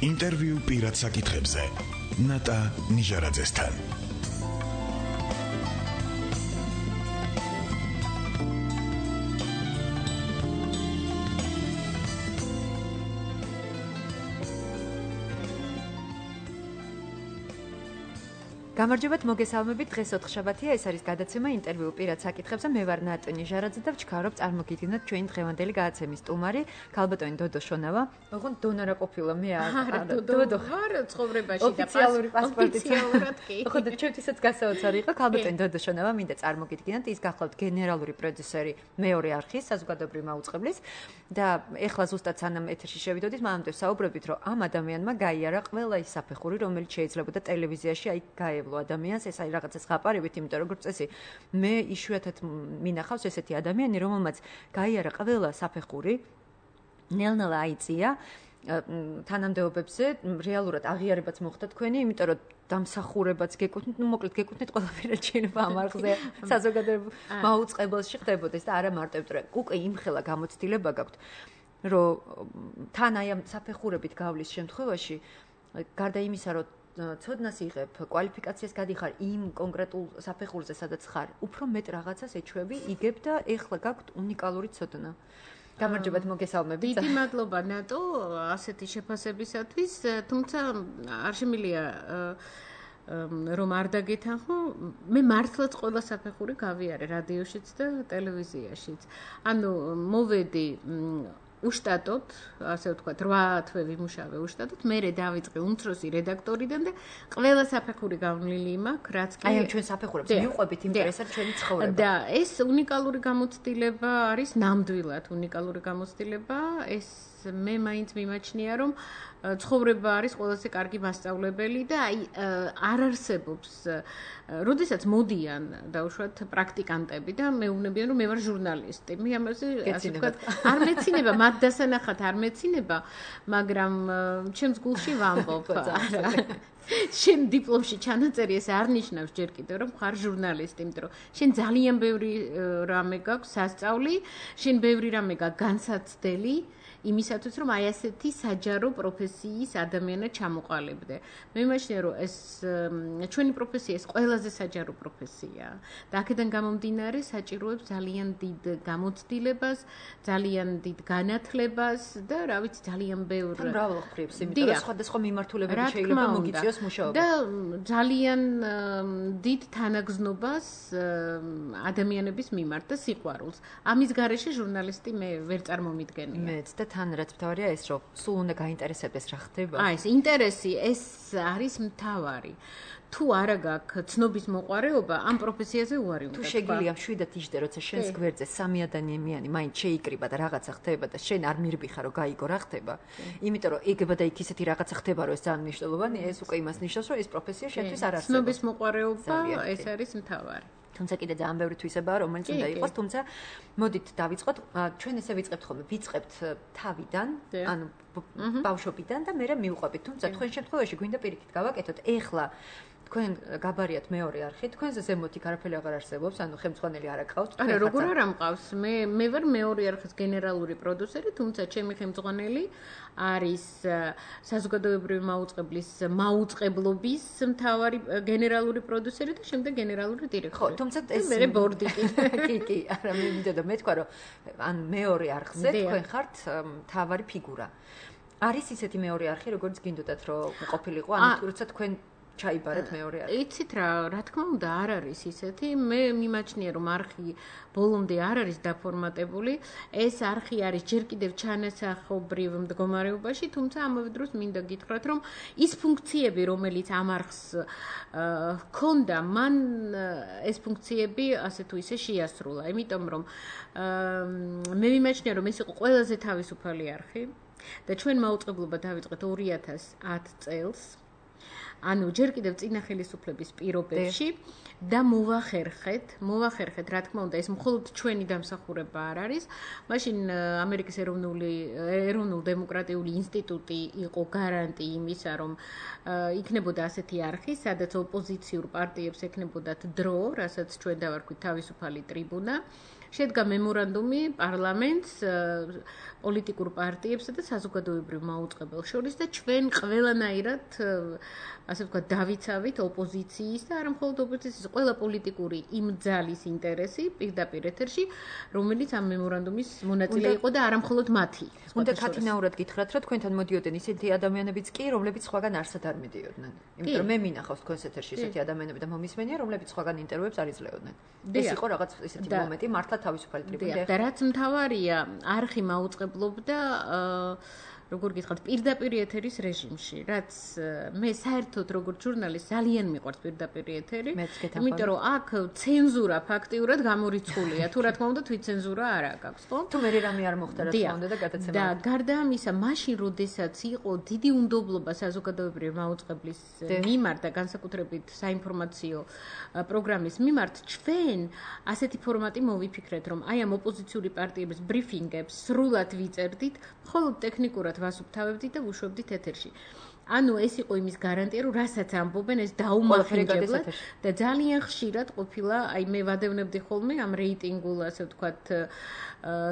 ინტერვიუ პირად საკითხებზე ნატა ნიჟარაძესთან. გამარჯობათ, მოგესალმებით. დღეს ოთხშაბათია, ეს არის გადაცემა ინტერვიუ პირად საკითხებზე. მე ვარ ნატა ნიჟარაძე და ვჩქარობ წარმოგიდგენთ ჩვენი დღევანდელი გადაცემის სტუმარი, ქალბატონი დოდო შონავა. ოღონდ დონა რა ყოფილა, მე არა. დოდო ხარ ცხოვრებაში და ოფიციალური პასპორტით. ოფიციალურად კი. ხოდა ჩვენთვისაც გასაოცარი იყო, ქალბატონი დოდო შონავა, მინდა წარმოგიდგენთ, ის გახლავთ გენერალური პროდიუსერი მეორე არხის საზოგადოებრივი მაუწყებლის და ეხლა ზუსტად სანამ ეთერში შევიდოდით, მანამდე საუბრობთ, რომ ამ ადამიანმა გაიარა ყველა ის საფეხური, რომელიც შეიძლებოდა ტელევიზიაში აი გაევლო ადამიანს, ეს აი რაღაცა ზღაპარებით, იმიტომ რომ როგორც წესი, მე იშვიათად მინახავს ესეთი ადამიანი, რომელმაც გაიარა ყველა საფეხური, ნელ-ნელა აიწია თანამდებობებზე, რეალურად აღიარებაც მოხდა თქვენი, იმიტომ რომ დამსახურებაც გეკუთვნით, ну მოკლედ გეკუთვნით ყველაფერად შეიძლება ამ არხზე საზოგადოებრივ მაუწყებელში ხდებოდეს და არა მარტო იმიტომ რომ უკვე იმხელა გამოცდილება გაქვთ, რომ თან აი ამ საფეხურებით გავლის შემთხვევაში, გარდა იმისა, რომ ცოდნას იღებ, კვალიფიკაციას გადიხარ იმ კონკრეტულ საფეხურზე, სადაც ხარ, უფრო მეტ რაღაცას ეჩვევი, იგებ და ეხლა გაქვთ უნიკალური ცოდნა. გამარჯობათ, მოგესალმებით. დიდი მადლობა ნატო ასეთი შეფასებისათვის, თუმცა არ შემიძლია რომ არ დაგეთანხმო, მე მართლაც ყველა საფეხური გავიარე რადიოშიც და ტელევიზიაშიც. ანუ მოვედი უშტატოდ, ასე ვთქვათ, 8 თვე ვიმუშავე უშტატოდ, მერე დავიწყე უმცროსი რედაქტორიდან და ყველა საფეხური გამლილი მაქვს, რაც კი აი ჩვენ საფეხურებს მივყვებით ინტერესად ჩვენი ცხოვრება. და ეს უნიკალური გამოცდილება არის, ნამდვილად უნიკალური გამოცდილება, ეს მე მაინც მიმაჩნია, რომ ცხოვრება არის ყველაზე კარგი მასწავლებელი და აი არ არსებობს, როდესაც მოდიან დაუშვათ პრაქტიკანტები და მეუბნებიან, რომ მე ვარ ჟურნალისტი. მე ამაზე ასე ვთქვათ, არ მეცინება, მათ დასანახად არ მეცინება, მაგრამ ჩემს გულში ვამბობ. შენ დიპლომში ჩანაწერი ეს არ ნიშნავს ჯერ კიდევ რომ ხარ ჟურნალისტი, იმიტომ რომ შენ ძალიან ბევრი რამე გაქვს სასწავლი, შენ ბევრი რამე გაქვს განსაცდელი იმისათვის რომ აი ასეთი საჯარო პროფესიის ადამიანად ჩამოყალიბდე. მე მიმაჩნია რომ ეს ჩვენი პროფესია ეს ყველაზე საჯარო პროფესია და აქედან გამომდინარე საჭიროებს ძალიან დიდ გამოცდილებას, ძალიან დიდ განათლებას და რა ვიცი ძალიან ბევრ მრავალმხრივს, იმიტომ რომ სხვადასხვა მიმართულებებით შეიძლება მოგიწიოს მუშაობა. და ძალიან დიდ თანაგზნობას ადამიანების მიმართ და სიყვარულს. ამის გარეშე ჟურნალისტი მე ვერ წარმომიდგენია. მეც და თან რაც მთავარია ეს რომ სულ უნდა გაინტერესებდეს რა ხდება. აი ეს ინტერესი ეს არის მთავარი. თუ არა გაქვს ცნობის მოყარეობა, ამ პროფესიაზე უარი უნდა. თუ შეგიძლია მშვიდად იჯდე, როცა შენს გვერდზე სამი ადამიანიანი მაინც შეიკრიბა და რაღაცა ხდება და შენ არ მირბიხარ რომ გაიგო რა ხდება. იმიტომ რომ იგება და იქ ისეთი რაღაცა ხდება, რომ ეს ძალიან მნიშვნელოვანია, ეს უკვე იმას ნიშნავს, რომ ეს პროფესია შენთვის არ არსებობს. ცნობის მოყარეობა ეს არის მთავარი. თუმცა კიდე ძალიან ბევრი თვისებაა, რომელიც უნდა იყოს, თუმცა მოდით დავიწყოთ. ჩვენ ესე ვიწყებთ ხოლმე, ვიწყებთ თავიდან, ანუ ბავშვობიდან და მერე მივყვებით. თუმცა თქვენ შემთხვევაში გვინდა პირიქით გავაკეთოთ. ეხლა თქვენ გაბარიათ მეორე არხი, თქვენზე ზემოთ იქ არაფერი აღარ არსებობს, ანუ ხელმძღვანელი არ აკავთ. არა, როგორ არ ამყავს? მე ვარ მეორე არხის გენერალური პროდიუსერი, თუმცა ჩემი ხელმძღვანელი არის საზოგადოებრივი მაუწყებლის მაუწყებლობის მთავარი გენერალური პროდიუსერი და შემდეგ გენერალური დირექტორი. ხო, თუმცა ეს მე ბორდი კი, არა მე მინდოდა მეთქვა, რომ ან მეორე არხზე თქვენ ხართ მთავარი ფიგურა. არის ისეთი მეორე არხი, როგორც გინდოდათ რომ ყოფილიყო, ანუ როცა თქვენ ჩაიბარეთ მეორე არხი. იცით რა თქმა უნდა არ არის ისეთი, მე მიმაჩნია რომ არხი ბოლომდე არ არის დაფორმატებული, ეს არხი არის ჯერ კიდევ ჩანასახობრივ მდგომარეობაში, თუმცა ამავე დროს მინდა გითხრათ რომ ის ფუნქციები რომელიც ამ არხს ჰქონდა, მან ეს ფუნქციები ასე თუ ისე შეასრულა, იმიტომ რომ მე მიმაჩნია რომ ეს იყო ყველაზე თავისუფალი არხი და ჩვენ მაუწყებლობა დავიწყეთ 2010 წელს. ანუ ჯერ კიდევ წინა ხელისუფლების პირობებში და მოვახერხეთ, რა თქმა უნდა, ეს მხოლოდ ჩვენი დამსახურება არ არის. მაშინ ამერიკის ეროვნულ დემოკრატიული ინსტიტუტი იყო გარანტი იმისა, რომ იქნებოდა ასეთი არხი, სადაც ოპოზიციურ პარტიებს ექნებოდათ დრო, რასაც ჩვენ დავარქვით თავისუფალი ტრიბუნა. შედგა მემორანდუმი პარლამენტს, პოლიტიკურ პარტიებსა და საზოგადოებრივ მაუწყებელს შორის და ჩვენ ყველანაირად ასე ვთქვათ დავიცავით ოპოზიციის და არა მხოლოდ ოპოზიციის, ყველა პოლიტიკური იმ ძალის ინტერესი პირდაპირ ეთერში, რომელიც ამ მემორანდუმის მონაწილე იყო და არა მხოლოდ მათი. უნდა ქათინაურად გითხრათ, რომ თქვენთან მოდიოდნენ ისეთი ადამიანებიც კი, რომლებიც სხვაგან არსად არ მიდიოდნენ. იმიტომ რომ მე მინახავს თქვენს ეთერში ისეთი ადამიანები და მომისმენია, რომლებიც სხვაგან ინტერვიუებს არ იძლეოდნენ. ეს იყო რაღაც ისეთი მომენტი, მართლა თავისუფალი ტრიბუნები. და რაც მთავარია, არხი მაუწყებლობდა როგორ გითხრათ, პირდაპირ ეთერის რეჟიმში, რაც მე საერთოდ როგორც ჟურნალისტ ძალიან მიყვარს პირდაპირ ეთერი, იმიტომ რომ აქ ცენზურა ფაქტიურად გამორიცხულია. თუ რა თქმა უნდა, თვითცენზურა არ აქვს, ხო? თუ მე რამე არ მოხდა, რა თქმა უნდა და გადაცემა. და გარდა ამისა, მაშინ როდესაც იყო დიდი უნდობლობა საზოგადოებრივ მაუწყებლის მიმართ და განსაკუთრებით საინფორმაციო პროგრამის მიმართ, ჩვენ ასეთი ფორმატი მოვიფიქრეთ, რომ აი ამ ოპოზიციური პარტიების ბრიფინგებს სრულად ვიწერდით, მხოლოდ ტექნიკურად ვასუფთავებდით და ვუშვებდით ეთერში. ანუ ეს იყო იმის გარანტია, რომ რასაც ამბობენ, ეს დაუმახინჯებლად და ძალიან ხშირად ყოფილა, აი მე ვადევნებდი ხოლმე ამ რეიტინგულ, ასე ვთქვათ,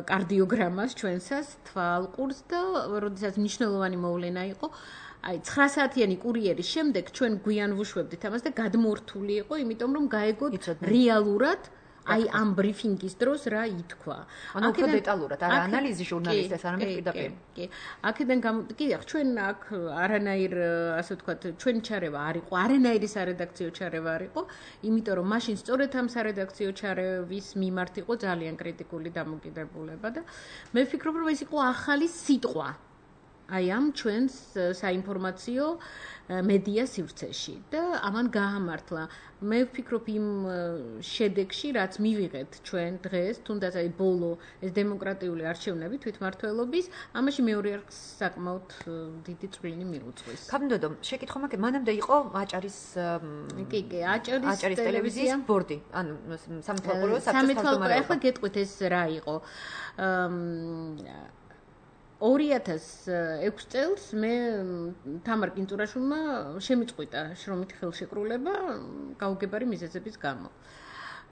კარდიოგრამას ჩვენსას, თვალყურს და როდესაც მნიშვნელოვანი მოვლენა იყო, აი 9 საათიანი კურიერის შემდეგ ჩვენ გვიან ვუშვებდით ამას და გადმორთული იყო, იმიტომ რომ გაეგოთ რეალურად აი ამ ბრიფინგის დროს რა ითქვა. ანუ უფრო დეტალურად, არა ანალიზი ჟურნალისტებს, არამედ პირდაპირ. კი. აქედან კი, ჩვენ აქ არანაირ, ასე ვთქვათ, ჩვენი ჩარევა არ იყო, არანაირი სარედაქციო ჩარევა არ იყო, იმიტომ რომ მაშინ სწორედ ამ სარედაქციო ჩარევის მიმართ იყო ძალიან კრიტიკული დამოკიდებულება და მე ვფიქრობ, რომ ეს იყო ახალი სიტყვა. აი ამ ჩვენს საინფორმაციო მედია სივრცეში და ამან გაამართლა. მე ვფიქრობ იმ შედეგში, რაც მივიღეთ ჩვენ დღეს, თუნდაც აი ბოლო ეს დემოკრატიული არჩევნები თვითმმართველობის, ამაში მეორე არხს საკმაოდ დიდი წვლილი მიუძღვის. კაბინდოდო, შეკითხვა მაქვს, მანამდე იყო აჭარის აჭარის ტელევიზიის ბორდი, ანუ სამეთვალყურეო საბჭოს თავმჯდომარე. ახლა გეტყვით ეს რა იყო. 2006 წელს მე თამარ კინწურაშვილმა შემიწყვიტა შრომითი ხელშეკრულება გაუგებარი მიზეზების გამო.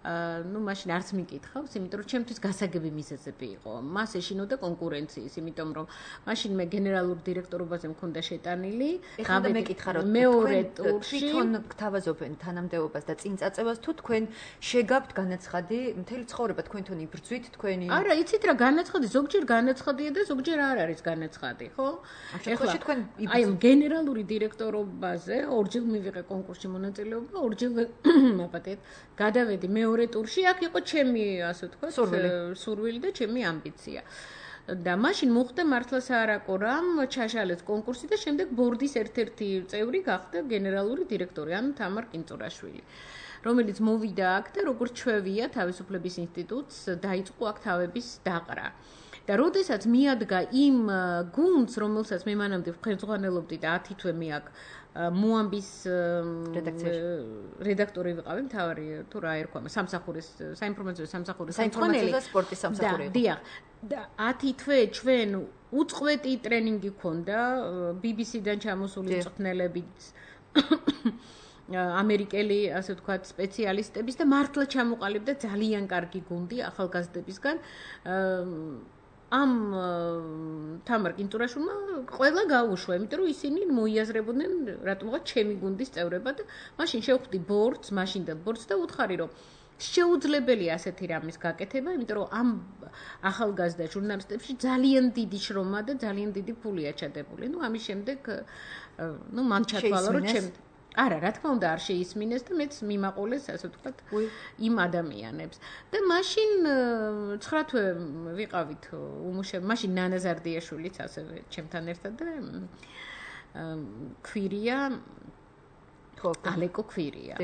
ну მაშინ არც მიკითხავს, იმიტომ რომ ჩემთვის გასაგები მიზეზები იყო. მას ეშინოდა კონკურენციის, იმიტომ რომ მაშინ მე გენერალურ დირექტორობაზე მქონდა შეტანილი. ეხლა მეკითხა რომ მეორე ტურში თვითონ გთავაზობენ თანამდებობას და წინ წაწევას თუ თქვენ შეგაბთ განაცხადი, მთელი ცხოვრება თქვენ თვითონ იბრძვით თქვენი. არა, იცით რა განაცხადი, ზოგჯერ განაცხადია და ზოგჯერ არ არის განაცხადი, ხო? ეხლა თქვენ აი გენერალური დირექტორობაზე ორჯერ მივიღე კონკურსში მონაწილეობა, ორჯერ მაპატეთ, გადავედი მეორე ტურში, აქ იყო ჩემი, ასე ვთქვათ, სურვილი და ჩემი ამბიცია. და მაშინ მოხდა მართლა საარაკო რამ, ჩაშალეს კონკურსი და შემდეგ ბორდის ერთ-ერთი წევრი გახდა გენერალური დირექტორი, ანუ თამარ კინწურაშვილი, რომელიც მოვიდა აქ და როგორც ჩვევია თავისუფლების ინსტიტუტს დაიწყო აქ თავების დაყრა. და როდესაც მიადგა იმ გუნდს, რომელსაც მე მანამდე ვხერხმიანელობდი და 10 თვე მე აქ მოამბის რედაქტორი ვიყავი, მთავარი თუ რა ერქვა, სამსახურის, საინფორმაციო სამსახურის საინფორმაციო და სპორტის სამსახური იყო. დიახ. და 10 თვე ჩვენ უწყვეტი ტრენინგი ქონდა BBC-დან ჩამოსული მწვრთნელებით ამერიკელი, ასე ვთქვათ, სპეციალისტების და მართლა ჩამოყალიბდა ძალიან კარგი გუნდი ახალგაზრდებისგან. ამ თამარ კინწურაშვილმა ყველა გაუშვა, იმიტომ რომ ისინი მოიაზრებოდნენ რატომღაც ჩემი გუნდის წევრება და მაშინ შევხვდი ბორდს, მაშინდელ ბორდს და უთხარი რომ შეუძლებელია ასეთი რამის გაკეთება, იმიტომ რომ ამ ახალგაზრდა ჟურნალისტებში ძალიან დიდი შრომა და ძალიან დიდი ფულია ჩადებული. ну ამის შემდეგ ну მან ჩათვალა რომ ჩემ არა, რა თქმა უნდა არ შეისმინეს და მეც მიმაყოლეს, ასე ვთქვათ, იმ ადამიანებს. და მაშინ 9 თვე ვიყავით უმუშევი, მაშინ ნანა ზარდიაშვილიც ასევე ჩემთან ერთად და ქვირია, ხო, ალეკო ქვირია.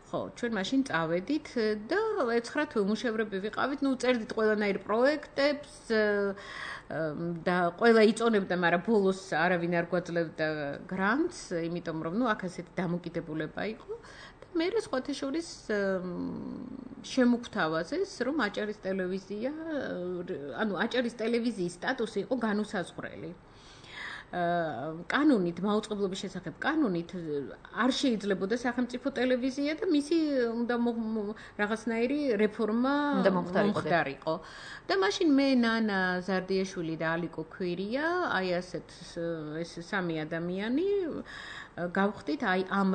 ხო, ჩვენ მაშინ წავედით და 9 თვე უმუშევრები ვიყავით, ну წერდით ყველანაირ პროექტებს და ყველა იწონებდა, მაგრამ ბოლოს არავინ არ გვაძლევდა გრანტს, იმიტომ რომ ну აქ ასეთი დამოკიდებულება იყო და მე სხვათა შორის შემოგთავაზეს, რომ აჭარის ტელევიზია, ანუ აჭარის ტელევიზიის სტატუსი იყო განუსაზღვრელი. კანონით, მაუწყებლობის შესახებ კანონით არ შეიძლებოდა სახელმწიფო ტელევიზია და მისი უნდა რაღაცნაირი რეფორმა მომხდარიყო. და მაშინ მე ნანა ზარდიაშვილი და ალიკო ქვირია, აი ასეთ ეს სამი ადამიანი გავხდით აი ამ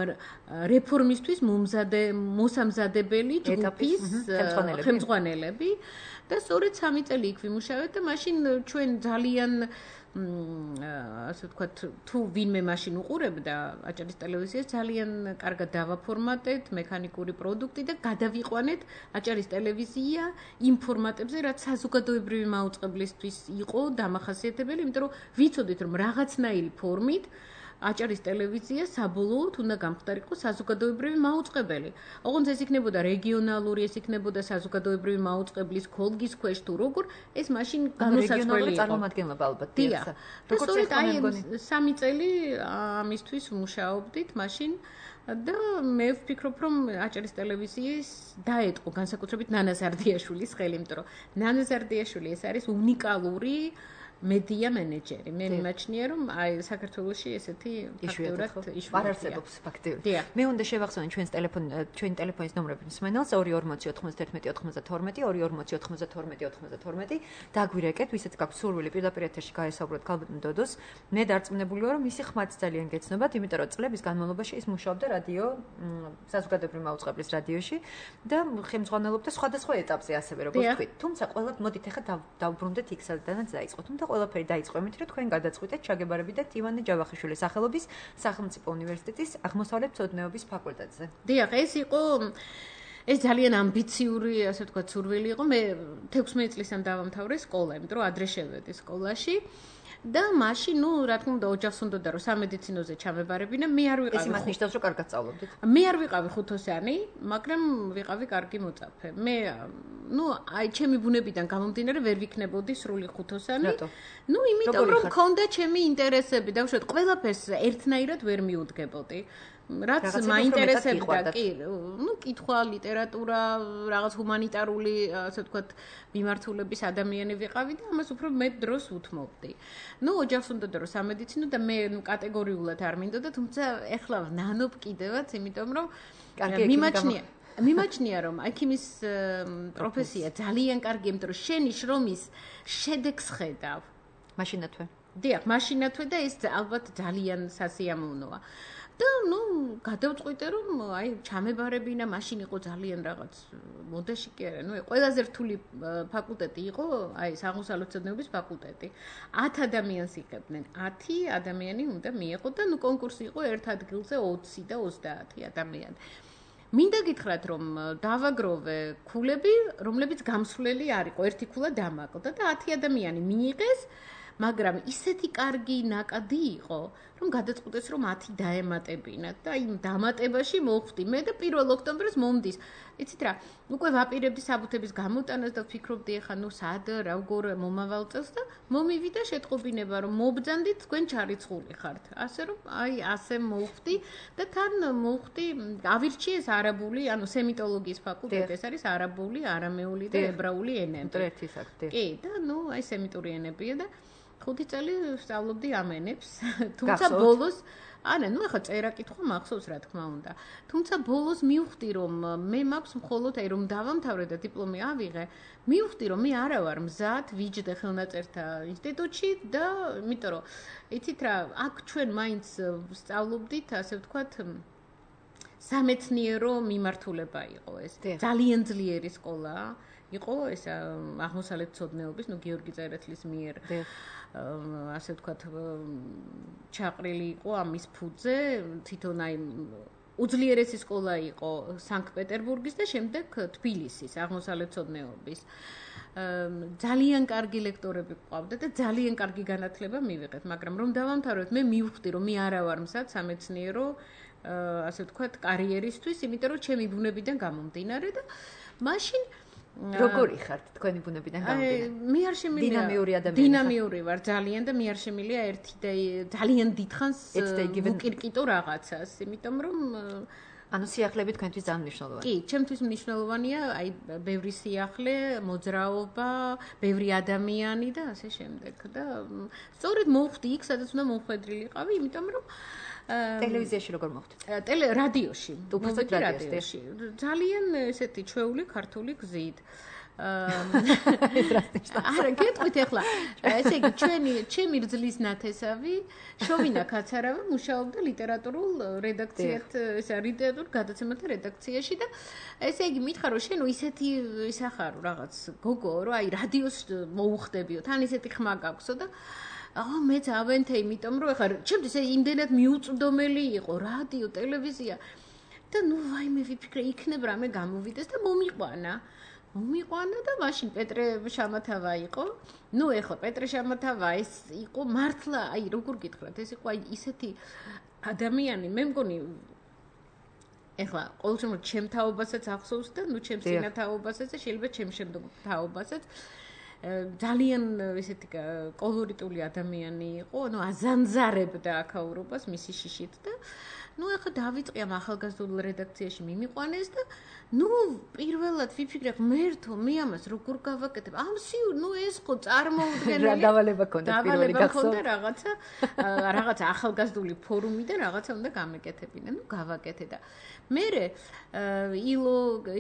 რეფორმისთვის მოსამზადებელი ჯგუფის ხელმძღვანელები და სწორედ 3 წელი იქ ვიმუშავეთ და მაშინ ჩვენ ძალიან ასე ვთქვათ თუ ვინმე მაშინ უყურებდა აჭარის ტელევიზიას ძალიან კარგად დავაფორმატეთ მექანიკური პროდუქტი და გადავიყვანეთ აჭარის ტელევიზია იმ ფორმატებზე რაც საზოგადოებრივი მაუწყებლისთვის იყო დამახასიათებელი იმიტომ რომ ვიცოდით რომ რაღაცნაირი ფორმით აჭარის ტელევიზია საბოლოოდ უნდა გამხდარიყო საზოგადოებრივი მაუწყებელი. ოღონდ ეს იქნებოდა რეგიონალური, ეს იქნებოდა საზოგადოებრივი მაუწყებლის ქოლგის ქვეშ თუ როგორ, ეს მაშინ განუსაზღვრელი იყო. წარმომადგენლობა ალბათ. დიახ. და სწორედ აი 3 წელი ამისთვის ვმუშაობდით მაშინ და მე ვფიქრობ რომ აჭარის ტელევიზიის დაეტყო განსაკუთრებით ნანა ზარდიაშვილის ხელი, იმიტომ რომ ნანა ზარდიაშვილი ეს არის უნიკალური მედია მენეჯერი. მე მიმაჩნია რომ აი საქართველოში ესეთი ფაქტურად არ არსებობს ფაქტია. მე უნდა შევახსენო ჩვენი ტელეფონის ნომრები მსმენელს 2409192 24092 დაგვირეკეთ, ვისაც გაქვს სურვილი პირდაპირ ეთერში გაესაუბროთ ქალბატონ დოდოს. მე დარწმუნებული ვარ რომ მისი ხმაც ძალიან გეცნობათ, იმიტომ რომ წლების განმავლობაში ის მუშაობდა რადიო საზოგადოებრივი მაუწყებლის რადიოში და ხელმძღვანელობდა სხვადასხვა ეტაპზე ასევე როგორც თქვით. თუმცა ყველა მოდით ახლა დავბრუნდეთ იქ სადაც დაიწყო. თუმცა ყველაფერი დაიწყო იმით, რომ თქვენ გადაწყვიტეთ ჩაგებარებიდეთ ივანე ჯავახიშვილის სახელობის სახელმწიფო უნივერსიტეტის აღმოსავლეთმცოდნეობის ფაკულტეტზე. დიახ, ეს ძალიან ამბიციური, ასე ვთქვათ, სურვილი იყო. მე 16 წლისამ დავამთავრე სკოლა, იმიტომ რომ ადრე შევედი სკოლაში. და მაშინ, რა თქმა უნდა, ოჯახს უნდა და რომ სამედიცინოზე ჩამებარებინა, მე არ ვიყავი. ეს იმას ნიშნავს, რომ კარგად სწავლობდით. მე არ ვიყავი ხუთოსანი, მაგრამ ვიყავი კარგი მოწაფე. მე, აი, ჩემი ბუნებიდან გამომდინარე ვერ ვიქნებოდი სრული ხუთოსანი. იმიტომ რომ მქონდა ჩემი ინტერესები და უშუალოდ ყველაფერს ერთნაირად ვერ მიუდგებოდი. რაც მაინტერესებდა, კი, კითხვა, ლიტერატურა, რაღაც ჰუმანიტარული, ასე ვთქვათ, მიმართულების ადამიანი ვიყავი და ამას უფრო მეტ დროს უთმობდი. ოჯახს უნდა და რომ სამედიცინო და მე კატეგორიულად არ მინდოდა, თუმცა ეხლა ვნანობ კიდევაც, იმიტომ რომ მიმაჩნია რომ ექიმის პროფესია ძალიან კარგია, იმიტომ რომ შენი შრომის შედეგს ხედავ. მაშინათვე. დიახ, მაშინათვე და ეს ალბათ ძალიან სასიამოვნოა. და გადავწყვიტე რომ აი ჩამებარებინა მაშინ იყო ძალიან რაღაც მოდაში კი არა ყველაზე რთული ფაკულტეტი იყო აი აღმოსავლეთმცოდნეობის ფაკულტეტი 10 ადამიანს იღებდნენ 10 ადამიანი უნდა მიეყო და კონკურსი იყო ერთ ადგილზე 20 და 30 ადამიანი მინდა გითხრათ რომ დავაგროვე ქულები რომლებიც გამსვლელი არ იყო ერთი ქულა დამაკლდა და 10 ადამიანი მიიღეს მაგრამ ისეთი კარგი ნაკადი იყო რომ გადაწყვეტეს რომ 10 დაემატებინათ და იმ დამატებაში მოვხვდი მე და 1 ოქტომბერს მომდის იცით რა უკვე ვაპირებდი საბუთების გამოტანას და ვფიქრობდი ახლა სად როგორ მომავალ წელს და მომივიდა შეტყობინება რომ მობძანდით თქვენ ჩარიცხული ხართ ასე რომ აი ასე მოვხვდი და თან მოვხვდი ავირჩიეს არაბული ანუ სემიტოლოგიის ფაკულტეტი ეს არის არაბული არამეული და ებრაული ენები ერთი საქმე კი და აი სემიტური ენებია და 5 წელი ვსწავლობდი ამ ენებს, თუმცა ბოლოს, არა, ახლა წერა კითხვა მახსოვს რა თქმა უნდა. თუმცა ბოლოს მივხვდი რომ მე მაქვს მხოლოდ აი რომ დავამთავრე და დიპლომი ავიღე, მივხვდი რომ მე არა ვარ მზად ვიჯდე ხელნაწერთა ინსტიტუტში და იმიტომ რომ იცით რა, აქ ჩვენ მაინც ვსწავლობდით, ასე ვთქვათ, სამეცნიერო მიმართულება იყო ეს. ძალიან ძლიერი სკოლა იყო ეს აღმოსავლეთმცოდნეობის, გიორგი წერეთლის მიერ ასე ვთქვათ ჩაყრილი იყო ამის ფუძე თვითონ აი უძლიერესი სკოლა იყო სანქტ-პეტერბურგის და შემდეგ თბილისის აღმოსავლეთმცოდნეობის ძალიან კარგი ლექტორები ყავდა და ძალიან კარგი განათლება მივიღეთ მაგრამ რომ დავამთავრეთ მე მივხვდი რომ მე არა ვარ მზად სამეცნიერო ასე ვთქვათ კარიერისთვის იმიტომ რომ ჩემი ბუნებიდან გამომდინარე და მაშინ როგორი ხართ თქვენი ბუნებიდან გამომდინარე? მე არ შემიძლია დინამიური ვარ ძალიან და მე არ შემიძლია ერთი და ძალიან დიდხანს ვუკირკიტო რაღაცას, იმიტომ რომ ანუ სიახლეები თქვენთვის ძალიან მნიშვნელოვანია. კი, ჩემთვის მნიშვნელოვანია, აი, ბევრი სიახლე, მოძრაობა, ბევრი ადამიანი და ასე შემდეგ. და სწორედ მოვხვდი იქ, სადაც უნდა მომხვედრილიყავი, იმიტომ რომ ტელევიზიაში როგორ მოხვდით? რადიოში. უბრალოდ რადიოში. ძალიან ესეთი ჩვეული ქართული გზით. არა, გეტყვით ახლა. ესე იგი, ჩემი რძლის ნათესავი შოვინა კაცარავა მუშაობდა ლიტერატურულ რედაქციად, ესა ლიტერატურ გადაცემათა რედაქციაში და ესე იგი, მითხარ რომ შენ ისეთი ისახარო რაღაც გოგო, რომ აი რადიოს მოუხდებიო, თან ისეთი ხმა გაქვსო და მეც ავენთე, იმიტომ რომ ახლა ჩემთვის იმდენად მიუწვდომელი იყო რადიო, ტელევიზია და ნუ ვაიმე ვიფიქრე, იქნებ რამე გამოვიდეს და მომიყვანა და მაშინ პეტრე შამათავა იყო. ნუ ეხლა პეტრე შამათავა ეს იყო მართლა, აი როგორ გითხრათ, ეს იყო აი ისეთი ადამიანი, მე მგონი ეხლა ყოველ შემთხვევაში ჩემ თაობასაც ახსოვს და ნუ ჩემ წინა თაობასაც და შეიძლება ჩემ შემდგომ თაობასაც ძალიან ესეთი კოლორიტული ადამიანი იყო, ანუ აზანზარებდა აქაურობას მისი შიშით და ნუ ახლა დავიწყე ამ ახალგაზრდულ რედაქციაში მიმიყვანეს და ნუ პირველად ვიფიქრე ღმერთო მე ამას როგორ გავაკეთებ ნუ ეს ხო წარმოუდგენელი დავალება ქონდა პირველი გახსოვ რაღაცა ახალგაზრდული ფორუმიდან რაღაცა უნდა გამეკეთებინა ნუ გავაკეთე და მე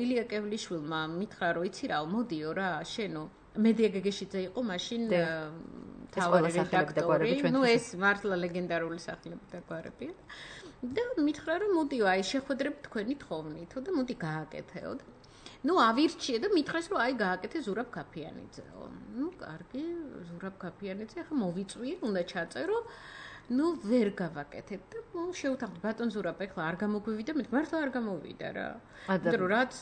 ილია კევლიშვილმა მითხრა რომ იცი რა მოდიო რა შენო მედია გეგეშიძე იყო მაშინ თავი რედაქტორი ნუ ეს მართლა ლეგენდარული სახლები და გვარებია და მითხრა რომ მოდიო აი შეხვედრები თქვენი თხოვნითო და მოდი გააკეთეო და ნუ ავირჩიე და მითხრეს რომ აი გააკეთე ზურაბ ქაფიანიძეო ნუ კარგი ზურაბ ქაფიანიძე ახლა მოვიწვიე უნდა ჩაწერო ნუ ვერ გავაკეთებ და შევთანხმდი ბატონ ზურაბ ახლა არ გამოგვივიდა მე მართლა არ გამოვიდა რა იმიტომ რომ რაც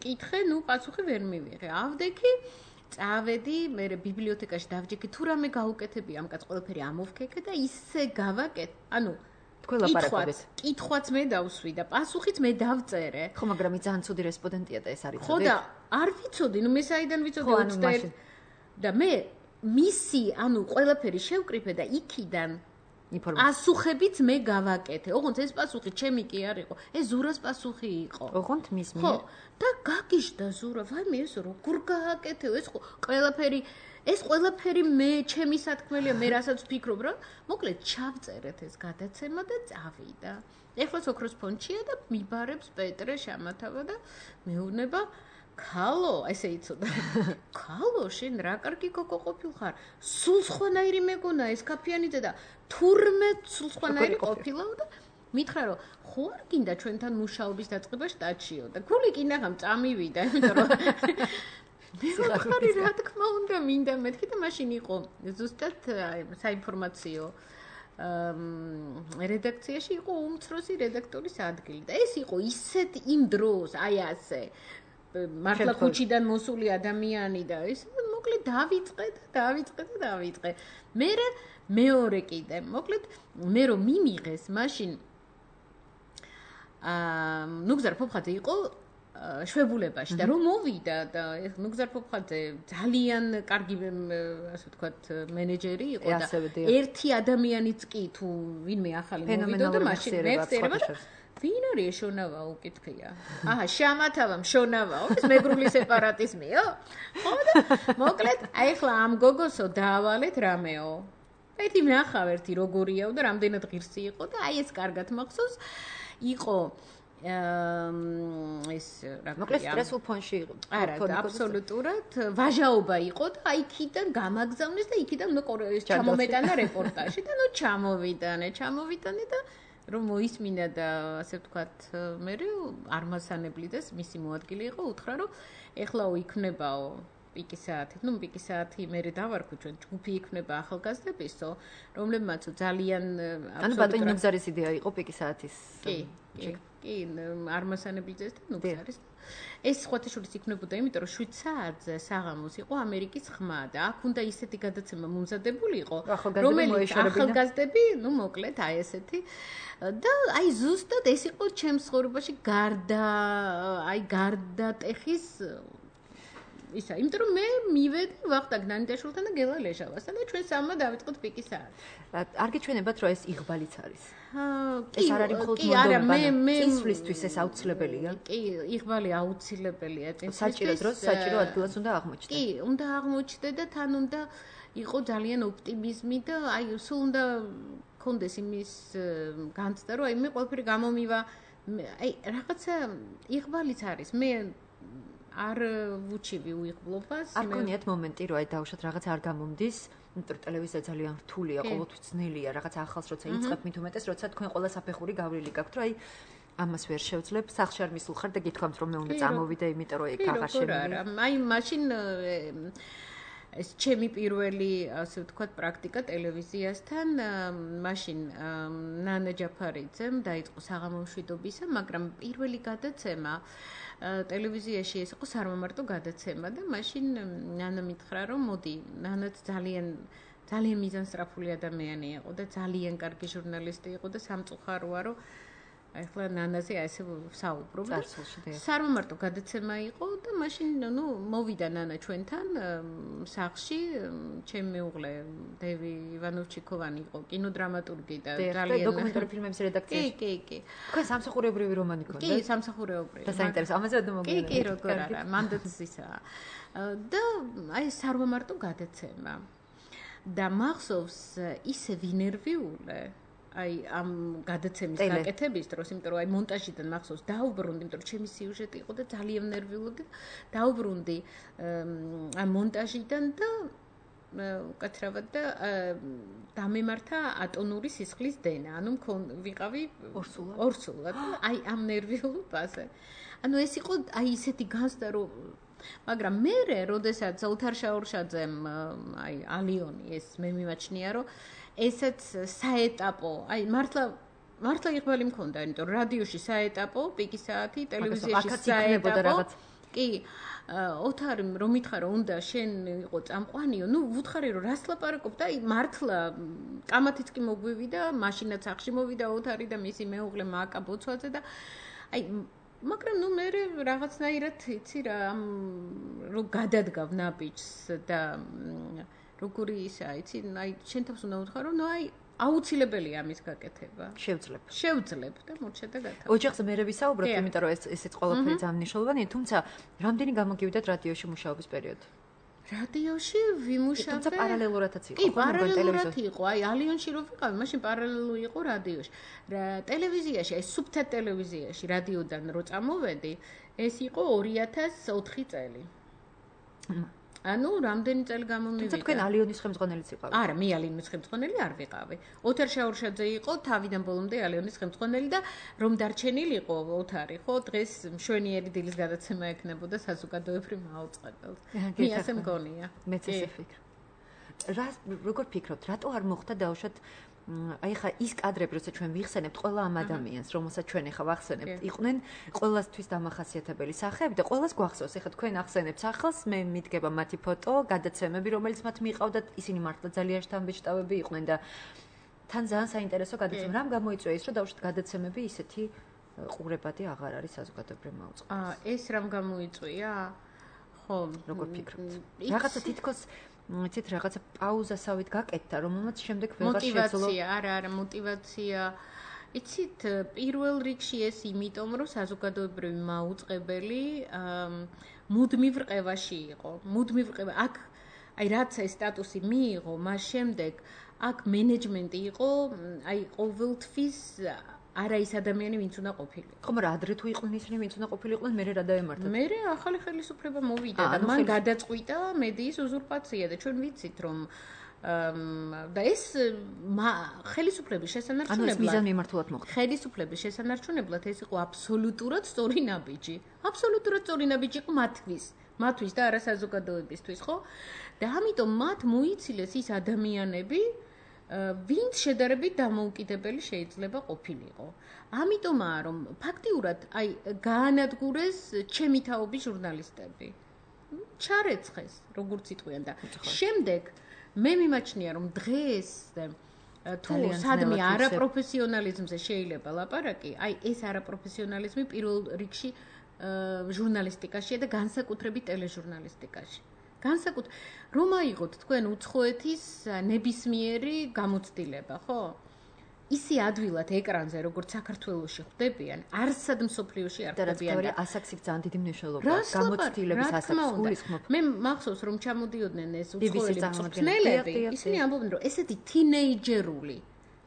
კითხე ნუ პასუხი ვერ მივიღე ავდექი წავედი მე ბიბლიოთეკაში დავჯექი თუ რამე გაუკეთები ამ კაც ყველაფერი ამოვქეკე და ისე გავაკეთ ანუ კითხვაც მე დავსვი და პასუხიც მე დავწერე ხო მაგრამ ის ძალიან ცუდი რესპონდენტია და ეს არის ხო და არ ვიცოდი ნუ მე საიდან ვიცოდი 21 და მე მისი ანუ ყველაფერი შევკრიფე და იქიდან პასუხებიც მე გავაკეთე. ოღონდ ეს პასუხი ჩემი კი არ იყო. ეს ზურას პასუხი იყო. ოღონდ მის მიერ. ხო, და გაგიჟდა ზურა, ვაიმე ეს როგორ გააკეთე? ეს ყველაფერი მე ჩემი სათქმელია, მე რასაც ვფიქრობ, რა. მოკლედ ჩავწერეთ ეს გადაცემა და წავიდა. ეხლა ოქროს ფონდშია და მიბარებს პეტრე შამათავა და მეუბნება ქალო, ესე იცოდა. ქალო, შენ რა კარგი გოგო ყოფილხარ. სულ სხვანაირი მეგონა ეს ქაფიანიძე და თურმე სულ სხვანაირი ყოფილა და მითხრა რომ ხო არ გინდა ჩვენთან მუშაობის დაწყება შტატშიო და გული კი ნახამ წამივიდა, იმიტომ რომ მე რა თქმა უნდა მინდა მეთქი და მაშინ იყო ზუსტად საინფორმაციო რედაქციაში იყო უმცროსი რედაქტორის ადგილი და ეს იყო ისეთ იმ დროს აი ასე მართლა ქუჩიდან მოსული ადამიანი და ეს მოკლედ დავიწყე. მეორე კიდე, მოკლედ მე რომ მიმიღეს, მაშინ ნუგზარ ფოფხაძე იყო შვებულებაში და რომ მოვიდა და ნუგზარ ფოფხაძე ძალიან კარგი ასე ვთქვათ მენეჯერი იყო და ერთი ადამიანიც კი თუ ვინმე ახალი მოვიდა და მაშინ მეცერება ვინ არის შონავა უკითხია? აჰა, შამათავამ შონავაო, ეს მეგრული სეპარატიზმიო? ხო და მოკლედ, აი ახლა ამ გოგოსო დაავალეთ რამეო. ერთი ნახავ ერთი როგორიაო და რამდენად ღირსი იყო და აი ეს კარგად მახსოვს. იყო ეს რა მოკლედ სტრესულ ფონში იყო. არა, აბსოლუტურად ვაჟაობა იყო და აი იქიდან გამაგზავნეს და იქიდან ეს ჩამომეტანა რეპორტაჟი და ნუ ჩამოვიტანე და რომ მოისმინა და ასე ვთქვათ, მე არმასანებლიდეს მისი მოადგილე იყო, უთხრა რომ ეხლაო იქნებაო პიკი საათი. ნუ პიკი საათი მე დავარქვი ჩვენ ჯგუფი იქნება ახალგაზრდებისო, რომლებმაც ძალიან ანუ ბატონი ნუგზარის იდეა იყო პიკი საათის. კი, არმასანებლიძეს და ნუგზარის. ეს ხვათაშორის იქნებოდა, იმიტომ რომ 7 საათზე საღამოს იყო ამერიკის ხმა და აქ უნდა ისეთი გადაცემა მომზადებული იყო, რომელიც ახალგაზრდები, ნუ მოკლედ აი ესეთი და აი ზუსტად ეს იყო ჩემს ცხოვრებაში გარდატეხის ისა, იმიტომ რომ მე მივედი ვახტანგ ნანიტაშვილთან და გელა ლეშავასთან და ჩვენ სამმა დავიწყოთ პიკის საათი. არ გიჩვენებათ რომ ეს იღბალიც არის. ეს არ არის მხოლოდ მონდომება. წინსვლისთვის ეს აუცილებელია. კი, იღბალი აუცილებელია წინსვლისთვის. საჭირო დროს, საჭირო ადგილას უნდა აღმოჩნდეს. კი, უნდა აღმოჩნდეს და თან უნდა იყო ძალიან ოპტიმიზმი და აი სულ უნდა კონდეს იმის განცდა რომ აი მე ყველაფერი გამომივა აი რაღაცა იღბალიც არის მე არ ვუჩივი უიღბლობას არ გქონიათ მომენტი რომ აი დავუშვათ რაღაცა არ გამომდის იმიტომ რომ ტელევიზია ძალიან რთულია ყოველთვის ძნელია რაღაცა ახალს როცა იწყებ მით უმეტეს როცა თქვენ ყველა საფეხური გავლილი გაქვთ რომ აი ამას ვერ შევძლებ სახში არ მისულ ხარ და გითქვამთ რომ მე უნდა წამოვიდე იმიტომ რომ ეგ აღარ შემიძლია აი მაშინ ეს ჩემი პირველი ასე ვთქვათ პრაქტიკა ტელევიზიასთან მაშინ ნანა ჯაფარიძემ დაიწყო საღამომშვიდობისა მაგრამ პირველი გადაცემა ტელევიზიაში ეს იყო სარმომარტო გადაცემა და მაშინ ნანა მითხრა რომ მოდი ნანაც ძალიან მიზანსწრაფული ადამიანი იყო და ძალიან კარგი ჟურნალისტი იყო და სამწუხაროა რომ ახლა ნანაზე ასე საუბრობ და სარმომარტო გადაცემა იყო და მაშინ ნუ მოვიდა ნანა ჩვენთან სახლში ჩემი მეუღლე დევი ივანოვჩიკოვანი იყო კინოდრამატურგი და ძალიან დოკუმენტური ფილმების რედაქციაში კი თქვენ სამსახურებრივი რომანი გქონდა კი სამსახურებრივი და საინტერესო ამაზე და მოგიყვება კი როგორ არა მანდაც ისა და აი სარმომარტო გადაცემა და მახსოვს ისე ვინერვიულე აი ამ გადაცემის გაკეთების დროს, იმიტომ რომ აი მონტაჟიდან მახსოვს დაუბრუნდი, იმიტომ რომ ჩემი სიუჟეტი იყო და ძალიან ნერვიულობდი. დაუბრუნდი ამ მონტაჟიდან და უკაცრავად და დამემართა ატონური სისხლის დენა. ანუ ვიყავი ორსულად. აი ამ ნერვიულობაზე. ანუ ეს იყო აი ისეთი განცდა რომ მაგრამ მე როდესაც ოთარ შაურშაძემ აი ალიონი ეს მე მიმაჩნია რომ ესეც საეტაპო, აი მართლა იღბალი მქონდა, იმიტომ რომ რადიოში საეტაპო, პიკის საათი, ტელევიზიაში საეტაპო. კი, ოთარი რომ მითხარო, უნდა შენ იყო წამყვანიო, ნუ ვუთხარი რომ რას ლაპარაკობ და აი მართლა კამათიც კი მოგვივიდა, მაშინაც სახში მოვიდა ოთარი და მისი მეუღლე მაკა ბოცვაძე და აი მაგრამ ნუ მე რაღაცნაირად იცი რა რო გადადგავ ნაბიჯს და როგორი ისა იცი აი შენ თავს უნდა უთხრა რომ ნუ აი აუცილებელია ამის გაკეთება შევძლებ და მორჩა და გათა ოჯახზე მერე ვისაუბროთ იმიტომ რომ ესეც ყველაფერი ძალიან მნიშვნელოვანია თუმცა რამდენი გამოგივიდათ რადიოში მუშაობის პერიოდი რადიოში ვიმუშავე თუმცა პარალელურადაც იყო კი პარალელურად იყო აი ალიონში რო ვიყავი მაშინ პარალელური იყო რადიოში ტელევიზიაში აი სუბტიტ ტელევიზიაში რადიოდან რო წამოვედი ეს იყო 2004 წელი ანუ რამდენი წელი გამომივიდა თუმცა თქვენ ალიონის ხელმძღვანელიც იყავით არა მე ალიონის ხელმძღვანელი არ ვიყავი ოთარ შაურშაძე იყო თავიდან ბოლომდე ალიონის ხელმძღვანელი და რომ დარჩენილიყო ოთარი ხო დღეს მშვენიერი დილის გადაცემა ექნებოდა საზოგადოებრივ მაუწყებელს მე ასე მგონია მეც ესე ვფიქრობ რა როგორ ფიქრობთ რატო არ მოხდა დაუშვათ აი ხა ის კადრები როცა ჩვენ ვიხსენებთ ყველა ამ ადამიანს რომელსაც ჩვენ ახლა ვახსენებთ იყვნენ ყველასთვის დამახასიათებელი სახეები და ყველას გვახსოვს ახლა თქვენ ახსენებთ სახელს მე მიდგება მათი ფოტო გადაცემები რომელიც მათ მიყავდათ ისინი მართლა ძალიან შთამბეჭდავები იყვნენ და თან ძალიან საინტერესო გადაცემა რამ გამოიწვია ის რომ დაუშვათ გადაცემები ისეთი ყურებადი აღარ არის საზოგადოებრივ მაუწყებელს ეს რამ გამოიწვია ხო როგორ ფიქრობთ რაღაცა თითქოს იცით რაღაცა პაუზასავით გაკეთდა რომელმაც შემდეგ ვეღარ შეძლო არა мотиваცია იცით პირველ რიგში ეს იმიტომ რომ საზოგადოებრივი მაუწყებელი მუდმივ რყევაში იყო მუდმივ რყევა აქ აი რაც ეს სტატუსი მიიღო მას შემდეგ აქ მენეჯმენტი იყო აი ყოველთვის არა ის ადამიანი ვინც უნდა ყოფილიყო. ხო, მაგრამ ადრე თუ იყვნენ ისინი ვინც უნდა ყოფილიყვნენ, მე რა დაემართათ. მე ახალი ხელისუფლება მოვიდა და მან გადაწყვიტა მედიის უზურპაცია და ჩვენ ვიცით რომ და ეს ხელისუფლების შესანარჩუნებლად ანუ ეს მიზანმიმართულად მოხდა. ხელისუფლების შესანარჩუნებლად ეს იყო აბსოლუტურად სწორი ნაბიჯი. აბსოლუტურად სწორი ნაბიჯი იყო მათთვის და არა საზოგადოებისთვის, ხო? და ამიტომ მათ მოიცილეს ის ადამიანები ვინც შედარებით დამოუკიდებელი შეიძლება ყოფილიყო. ამიტომაა რომ ფაქტიურად აი გაანადგურეს ჩემი თაობის ჟურნალისტები. ჩარეცხეს, როგორც იტყვიან და შემდეგ მე მიმაჩნია რომ დღეს თუ სადმე არაპროფესიონალიზმზე შეიძლება ლაპარაკი, აი ეს არაპროფესიონალიზმი პირველ რიგში ჟურნალისტიკაშია და განსაკუთრებით ტელეჟურნალისტიკაში. რომ აიღოთ თქვენ უცხოეთის ნებისმიერი გამოცდილება, ხო? ისე ადვილად ეკრანზე, როგორც საქართველოში ხვდებიან, არსად მსოფლიოში არ ხვდებიან და ასაქსის ძალიან დიდი მნიშვნელობა გამოცდილების ასაკს გულისხმობ. მე მახსოვს რომ ჩამოდიოდნენ ეს უცხოელი მწვრთნელები, ისინი ამბობდნენ რომ ესეთი თინეიჯერული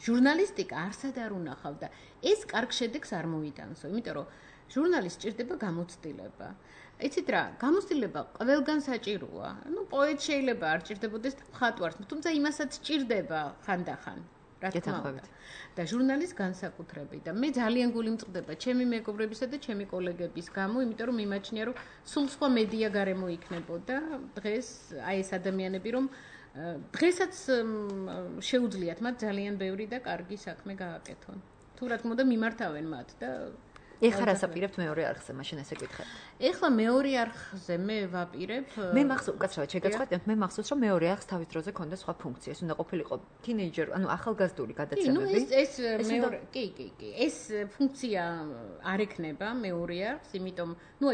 ჟურნალისტიკა არსად არ უნახავდა. ეს კარგ შედეგს არ მოიტანსო, იმიტომ რომ ჟურნალისტს სჭირდება გამოცდილება. იცით რა, გამოცდილება ყველგან საჭიროა. პოეტ შეიძლება არ ჭირდებოდეს და მხატვარს, თუმცა იმასაც სჭირდება ხანდახან. რა თქმა უნდა. და ჟურნალისტს განსაკუთრებით და მე ძალიან გული მწყდება ჩემი მეგობრებისა და ჩემი კოლეგების გამო, იმიტომ რომ მიმაჩნია რომ სულ სხვა მედია გარემო იქნებოდა დღეს აი ეს ადამიანები რომ დღესაც შეუძლიათ მათ ძალიან ბევრი და კარგი საქმე გააკეთონ. თუ რა თქმა უნდა მიმართავენ მათ და ეხლა რას აპირებთ მეორე არხზე, მაშინ ესე გითხეთ. ეხლა მეორე არხზე მე ვაპირებ. მე მახსოვს, კაცრავად შეგაცხადეთ, მე მახსოვს, რომ მეორე არხს თავის დროზე ქონდა სხვა ფუნქცია. ეს უნდა ყოფილიყო თინეიჯერ, ანუ ახალგაზრდული გადაცემები. ეს მეორე, კი. ეს ფუნქცია არ ექნება მეორე არხს, იმიტომ,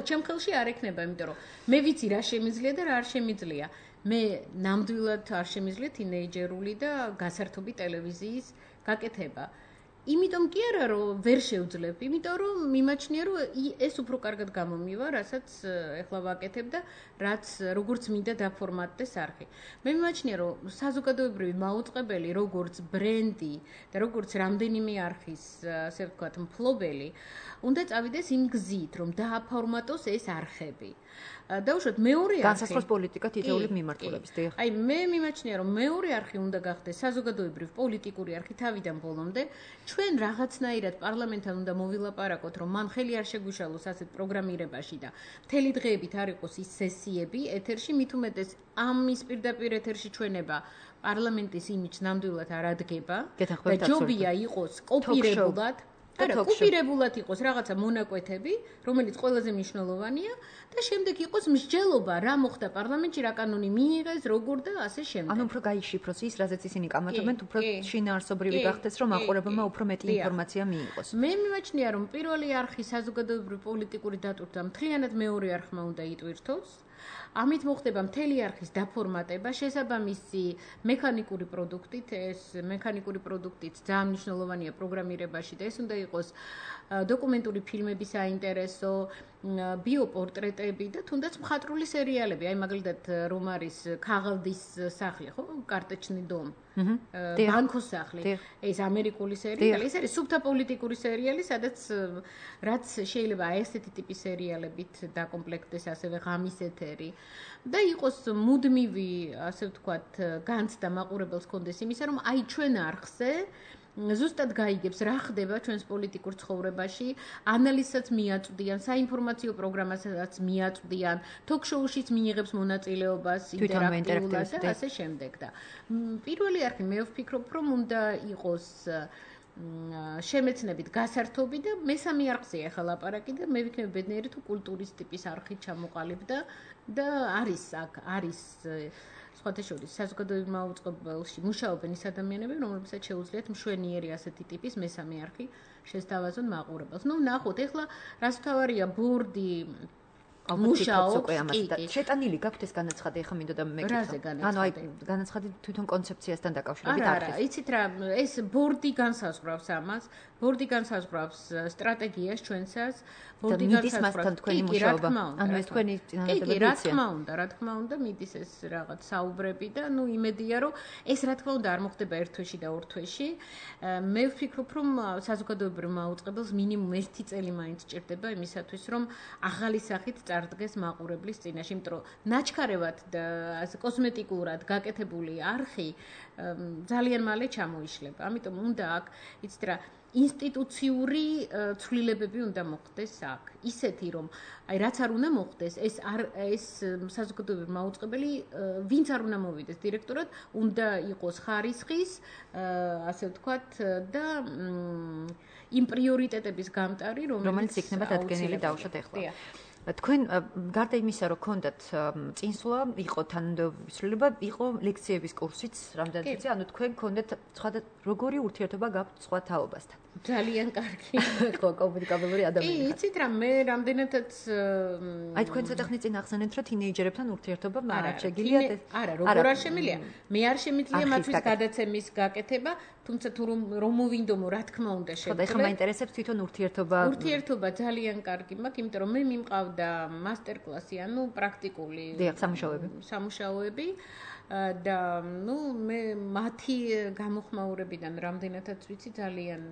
ჩემ ხელში არ ექნება, იმიტომ რომ მე ვიცი რა შემიძლია და რა არ შემიძლია. მე ნამდვილად არ შემიძლია თინეიჯერული და გასართობი ტელევიზიის გაკეთება. იმიტომ კი არა რომ ვერ შევძლებ, იმიტომ რომ მიმაჩნია რომ ეს უფრო კარგად გამომივა, რასაც ეხლა ვაკეთებ და რაც როგორც მინდა დაფორმატდეს არხი. მე მიმაჩნია რომ საზოგადოებრივი მაუწყებელი, როგორც ბრენდი და როგორც რამდენიმე არხის, ასე ვთქვათ, მფლობელი, უნდა წავიდეს იმ გზით, რომ დააფორმატოს ეს არხები. დაუშვათ მეორე არხი განსაზღვროს პოლიტიკა თითოეული მიმართულების დიახ. აი მე მიმაჩნია რომ მეორე არხი უნდა გახდეს საზოგადოებრივ პოლიტიკური არხი თავიდან ბოლომდე. ჩვენ რაღაცნაირად პარლამენტთან უნდა მოვილაპარაკოთ, რომ მან ხელი არ შეგვიშალოს ასეთ პროგრამირებაში და მთელი დღეებით არ იყოს ის სესიები ეთერში, მით უმეტეს ამის პირდაპირ ეთერში ჩვენება პარლამენტის იმიჯს ნამდვილად არ ადგება და ჯობია იყოს კოპირებულად კოპირებულად იყოს რაღაცა მონაკვეთები, რომელიც ყველაზე მნიშვნელოვანია და შემდეგ იყოს მსჯელობა, რა მოხდა პარლამენტში, რა კანონი მიიღეს, როგორ და ასე შემდეგ. ანუ უფრო გაიშიფროს ის, რაზეც ისინი კამათობენ, უფრო შინაარსობრივი გახდეს, რომ მაყურებელმა უფრო მეტი ინფორმაცია მიიღოს. მე მიმაჩნია, რომ პირველი არხი საზოგადოებრივი პოლიტიკური დატვირთვა მთლიანად მეორე არხმა უნდა იტვირთოს. ამით მოხდება მთელი არხის დაფორმატება, შესაბამისი მექანიკური პროდუქტით, ეს მექანიკური პროდუქტიც ძალიან მნიშვნელოვანია პროგრამირებაში და ეს უნდა იყოს დოკუმენტური ფილმები საინტერესო, ბიოპორტრეტები და თუნდაც მხატვრული სერიალები, აი მაგალითად რომ არის ქაღალდის სახლი, ხო? კარტეჩნი დომ. ბანკოს სახლი. ეს ამერიკული სერიალი, ეს არის სუბთა პოლიტიკური სერიალი, სადაც რაც შეიძლება აი ესეთი ტიპის სერიალებით დაკომპლექტდეს ასევე ღამის ეთერი და იყოს მუდმივი, ასე ვთქვათ, განცდა მაყურებელს კონდეს იმისა, რომ აი ჩვენ არხზე ზუსტად გაიგებს რა ხდება ჩვენს პოლიტიკურ ცხოვრებაში, ანალიზსაც მიაწვდიან, საინფორმაციო პროგრამასაც მიაწვდიან, ток-შოუშიც მიიღებს მონაწილეობას ინტერაქტიულად და ასე შემდეგ და პირველი არხი მე ვფიქრობ, რომ უნდა იყოს შემეცნებით გასართობი და მესამე არხზეა ახლა ლაპარაკი და მე ვიქნები ბედნიერი თუ კულტურის ტიპის არხით ჩამოყალიბდა და არის სხვათა შორის საზოგადოებრივ მაუწყებელში მუშაობენ ის ადამიანები, რომლებსაც შეუძლიათ მშვენიერი ასეთი ტიპის მესამე არხი შესთავაზონ მაყურებელს. ნახოთ, ეხლა რას თავარია ბორდი მუშაობს და შეტანილი გაქვთ ეს განაცხადი, ახლა მინდოდა მეკითხა. ანუ აი განაცხადი თვითონ კონცეფციასთან დაკავშირებით არხის. არა, იცით რა, ეს ბორდი განსაზღვრავს ამას, ბორდი განსაზღვრავს სტრატეგიას ჩვენსას, ბორდი განსაზღვრავს თქვენი მუშაობა. ანუ ეს თქვენი წინადადებებია. რა თქმა უნდა, მიდის ეს რაღაც საუბრები და იმედია, რომ ეს რა თქმა უნდა არ მოხდება ერთ თვეში და ორ თვეში. მე ვფიქრობ, რომ საზოგადოებრივ მაუწყებელს მინიმუმ 1 წელი მაინც სჭირდება იმისათვის, რომ ახალი სახით წარდგეს მაყურებლის წინაშე, იმიტომ რომ ნაჩქარევად და კოსმეტიკურად გაკეთებული არხი ძალიან მალე ჩამოიშლება. ამიტომ უნდა აქ იცით რა ინსტიტუციური ცვლილებები უნდა მოხდეს აქ. ისეთი რომ აი რაც არ უნდა მოხდეს, ეს საზოგადოებრივ მაუწყებელი ვინც არ უნდა მოვიდეს დირექტორად, უნდა იყოს ხარისხის, ასე ვთქვათ და იმ პრიორიტეტების გამტარი, რომელიც იქნება დადგენილი დავუშვათ ახლა. თქვენ გარდა იმისა, რომ გქონდათ წინსვლა, იყო თანამდებობის ცვლილება, იყო ლექციების კურსიც რამდენიც ვიცი, ანუ თქვენ გქონდათ სხვა როგორი ურთიერთობა გაქვთ სხვა თაობასთან? ძალიან კარგი. ხო, კომუნიკაბელური ადამიანი. იცით რა, მე რამდენადაც აი თქვენ ცოტა ხნით წინ ახსენეთ, რომ თინეიჯერებთან ურთიერთობა არ შეგიძლიათ ეს? არა, როგორ არ შემიძლია? მე არ შემიძლია მათთვის გადაცემის გაკეთება, თუმცა თუ რომ მოვინდომო, რა თქმა უნდა ხო, და ეხლა მაინტერესებს თვითონ ურთიერთობა. ურთიერთობა ძალიან კარგი მაქვს, იმიტომ რომ მე მიმყავდა მასტერკლასი, ანუ პრაქტიკული სამუშაოები და მე მათი გამოხმაურებიდან რამდენადაც ვიცი ძალიან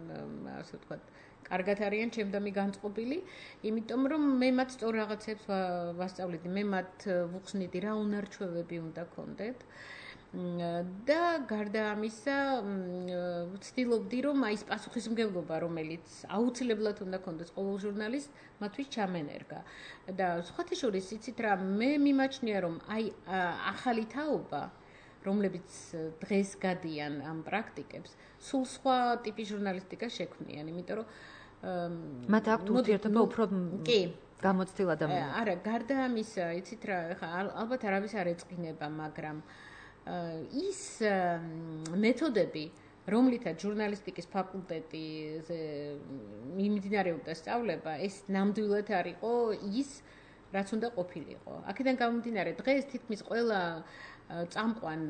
ასე ვთქვათ კარგად არიან ჩემდამი განწყობილი, იმიტომ რომ მე მათ სწორ რაღაცებს ვასწავლედი, მე მათ ვუხსნიდი რა უნარჩვევები უნდა გქონდეთ და გარდა ამისა ვცდილობდი რომ აი ეს პასუხისმგებლობა რომელიც აუცილებლად უნდა გქონდეს ყოველ ჟურნალისტს მათთვის ჩამენერგა და სხვათა შორის იცით რა მე მიმაჩნია რომ აი ახალი თაობა რომლებიც დღეს გადიან ამ პრაქტიკებს სულ სხვა ტიპის ჟურნალისტიკა შექმნიან იმიტომ რომ მათ აქვთ ურთიერთობა უფრო გამოცდილ ადამიანებს არა გარდა ამისა იცით რა ალბათ არავის არ ეწყინება მაგრამ ის მეთოდები რომლითაც ჟურნალისტიკის ფაკულტეტიზე მიმდინარეობდა სწავლება ეს ნამდვილად არ იყო ის რაც უნდა ყოფილიყო აქედან გამომდინარე დღეს თითქმის ყველა წამყვან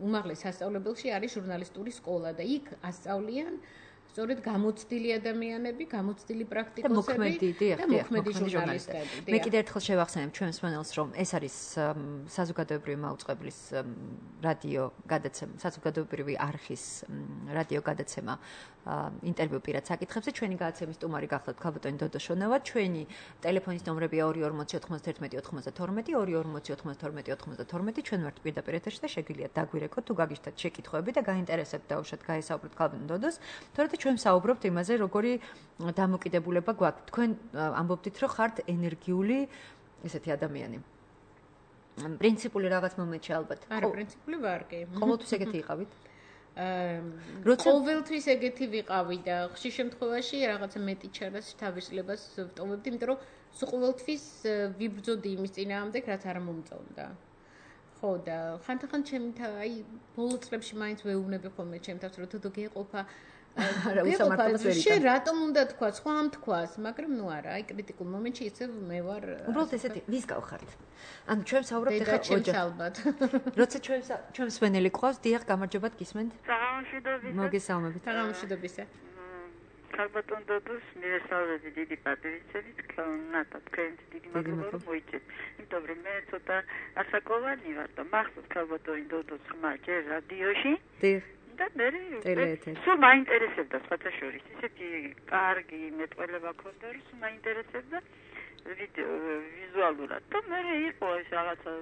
უმაღლეს სასწავლებელში არის ჟურნალისტური სკოლა და იქ ასწავლიან სწორედ გამოცდილი ადამიანები, გამოცდილი პრაქტიკოსები და მოქმედი ჟურნალისტები. მე კიდევ ერთხელ შევახსენებ ჩვენს მენელს, რომ ეს არის საზოგადოებრივი მაუწყებლის რადიო გადაცემა, საზოგადოებრივი არხის რადიო გადაცემა ინტერვიუ პირად საკითხებზე. ჩვენი გადაცემის სტუმარი გახლავთ ქალბატონი დოდო შონავა. ჩვენი ტელეფონის ნომრებია 2409192, 2409092. ჩვენ ვართ პირდაპირ ეთერში და შეგიძლიათ დაგვირეკოთ თუ გაგიჟდათ შეკითხვები და გაინტერესებთ დაუშვათ გაესაუბროთ ქალბატონ დოდოს. თორემ ჩვენ საუბრობთ იმაზე, როგორი დამოკიდებულება გვაქვს. თქვენ ამბობდით, რომ ხართ ენერგიული ესეთი ადამიანი. პრინციპული რაღაც მომენტში ალბათ. არა, პრინციპული ვარ კი. ყოველთვის ეგეთი იყავით? ყოველთვის ეგეთი ვიყავი და ხშირ შემთხვევაში რაღაცა მეტი ჩარას თავისლებას ვტოვებდი, იმიტომ რომ სულ ყოველთვის ვიბრძოდი იმის წინააღმდეგ, რაც არ მომწონდა. ხო და ხანდახან ჩემი აი ბოლო წლებში მაინც ვეუბნები ხოლმე ჩემ თავს, რომ თუ გეყოფა არა უსამართლობას ვერ იტან. შენ რატომ უნდა თქვა, სხვამ თქვას, მაგრამ ნუ არა, აი კრიტიკულ მომენტში ისევ მე ვარ. უბრალოდ ესეთი ვის გავხართ? ანუ ჩვენ საუბრობთ ეხლა ოჯახ ალბათ. როცა ჩვენს ვენელი ყავს, დიახ, გამარჯობათ გისმენთ? საღამოშიდობისა. მოგესალმებით. საღამოშიდობისა. ქალბატონ დოდოს მიესალმები დიდი პატრიცებით, ნატა თქვენს დიდი მადლობა რომ მოიწეთ. იმიტომ რომ მე ცოტა ასაკოვანი ვარ და მახსოვს ქალბატონი დოდოს ხმა ჯერ რადიოში. დიახ. და მე სულ მაინტერესებდა სხვათა შორის ისეთი კარგი მეტყველება ქონდა რომ სულ მაინტერესებდა ვიზუალურად და მე იყო ეს რაღაცა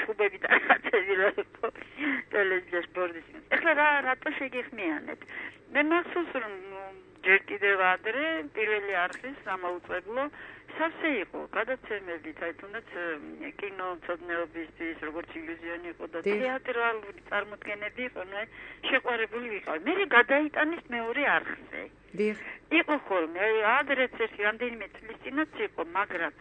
ჩუბები და რაღაცები რა იყო ტელევიზიაში ბორდის ეხლა რატო შეგეხმიანეთ მე მახსოვს რომ ჯერ კიდევ ადრე პირველი არხის სამაუწყებლო სავსე იყო გადაცემებით აი თუნდაც კინომცოდნეობისთვის როგორც ილუზიონი იყო და თეატრალური წარმოდგენები იყო ნუ შეყვარებული ვიყავი მე გადაიტანეს მეორე არხზე იყო ხოლმე ადრეც ერთი რამდენიმე წლის წინაც იყო მაგრამ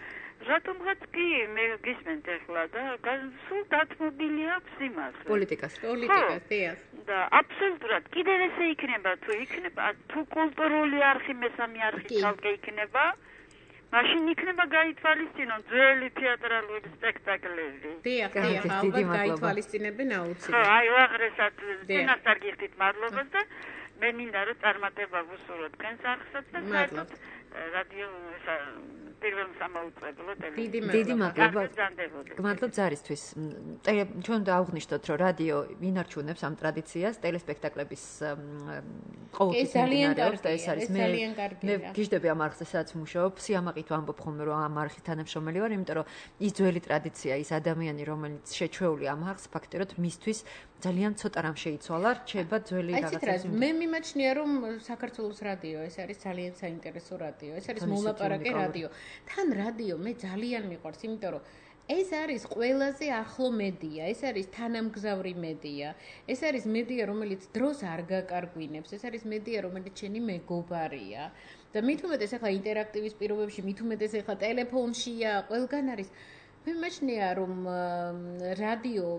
რატომღაც კი მე გისმენთ ახლა და სულ დათმობილი აქვს იმას პოლიტიკას დიახ და აბსოლუტურად კიდევ ესე იქნება თუ კულტურული არხი მესამე არხი ცალკე იქნება მაშინ იქნება გაითვალისწინონ ძველი თეატრალური სპექტაკლები. დიახ, ალბათ გაითვალისწინებენ აუცილებლად. ხო, აი უაღრესად წინასწარ გიხდით მადლობას და მე მინდა რომ წარმატება ვუსურვოთ თქვენს არხსაც და საერთოდ რადიო პირველ სამაუწყებლო ტელევიზია. დიდი მადლობა. გმადლობ ზარისთვის. ჩვენ დავღნიშნოთ რომ რადიო ინარჩუნებს ამ ტრადიციას, ტელესპექტაკლების ყოველთვის მიმდინარეობს და ეს არის მე გიждები ამ არხზე სადაც ვმუშაობ, სიამაყით ვამბობ ხოლმე რომ ამ არხის თანამშრომელი ვარ, იმიტომ რომ ის ძველი ტრადიცია, ის ადამიანი რომელიც შეჩვეული ამ არხს ფაქტობრივად მისთვის ძალიან ცოტა რამ შეიცვალა, რჩება ძველი რაღაცა. მე მიმაჩნია რომ საქართველოს რადიო ეს არის ძალიან საინტერესო რადიო, ეს არის მოლაპარაკე რადიო. თან რადიო მე ძალიან მიყვარს, იმიტომ რომ ეს არის ყველაზე ახლო მედია, ეს არის თანამგზავრი მედია, ეს არის მედია, რომელიც დროს არ გაკარგვინებს, ეს არის მედია, რომელიც შენი მეგობარია. და მით უმეტეს ახლა ინტერაქტივის პირობებში, მით უმეტეს ახლა ტელეფონშია, ყველგან არის. მე მეჩნია რომ რადიო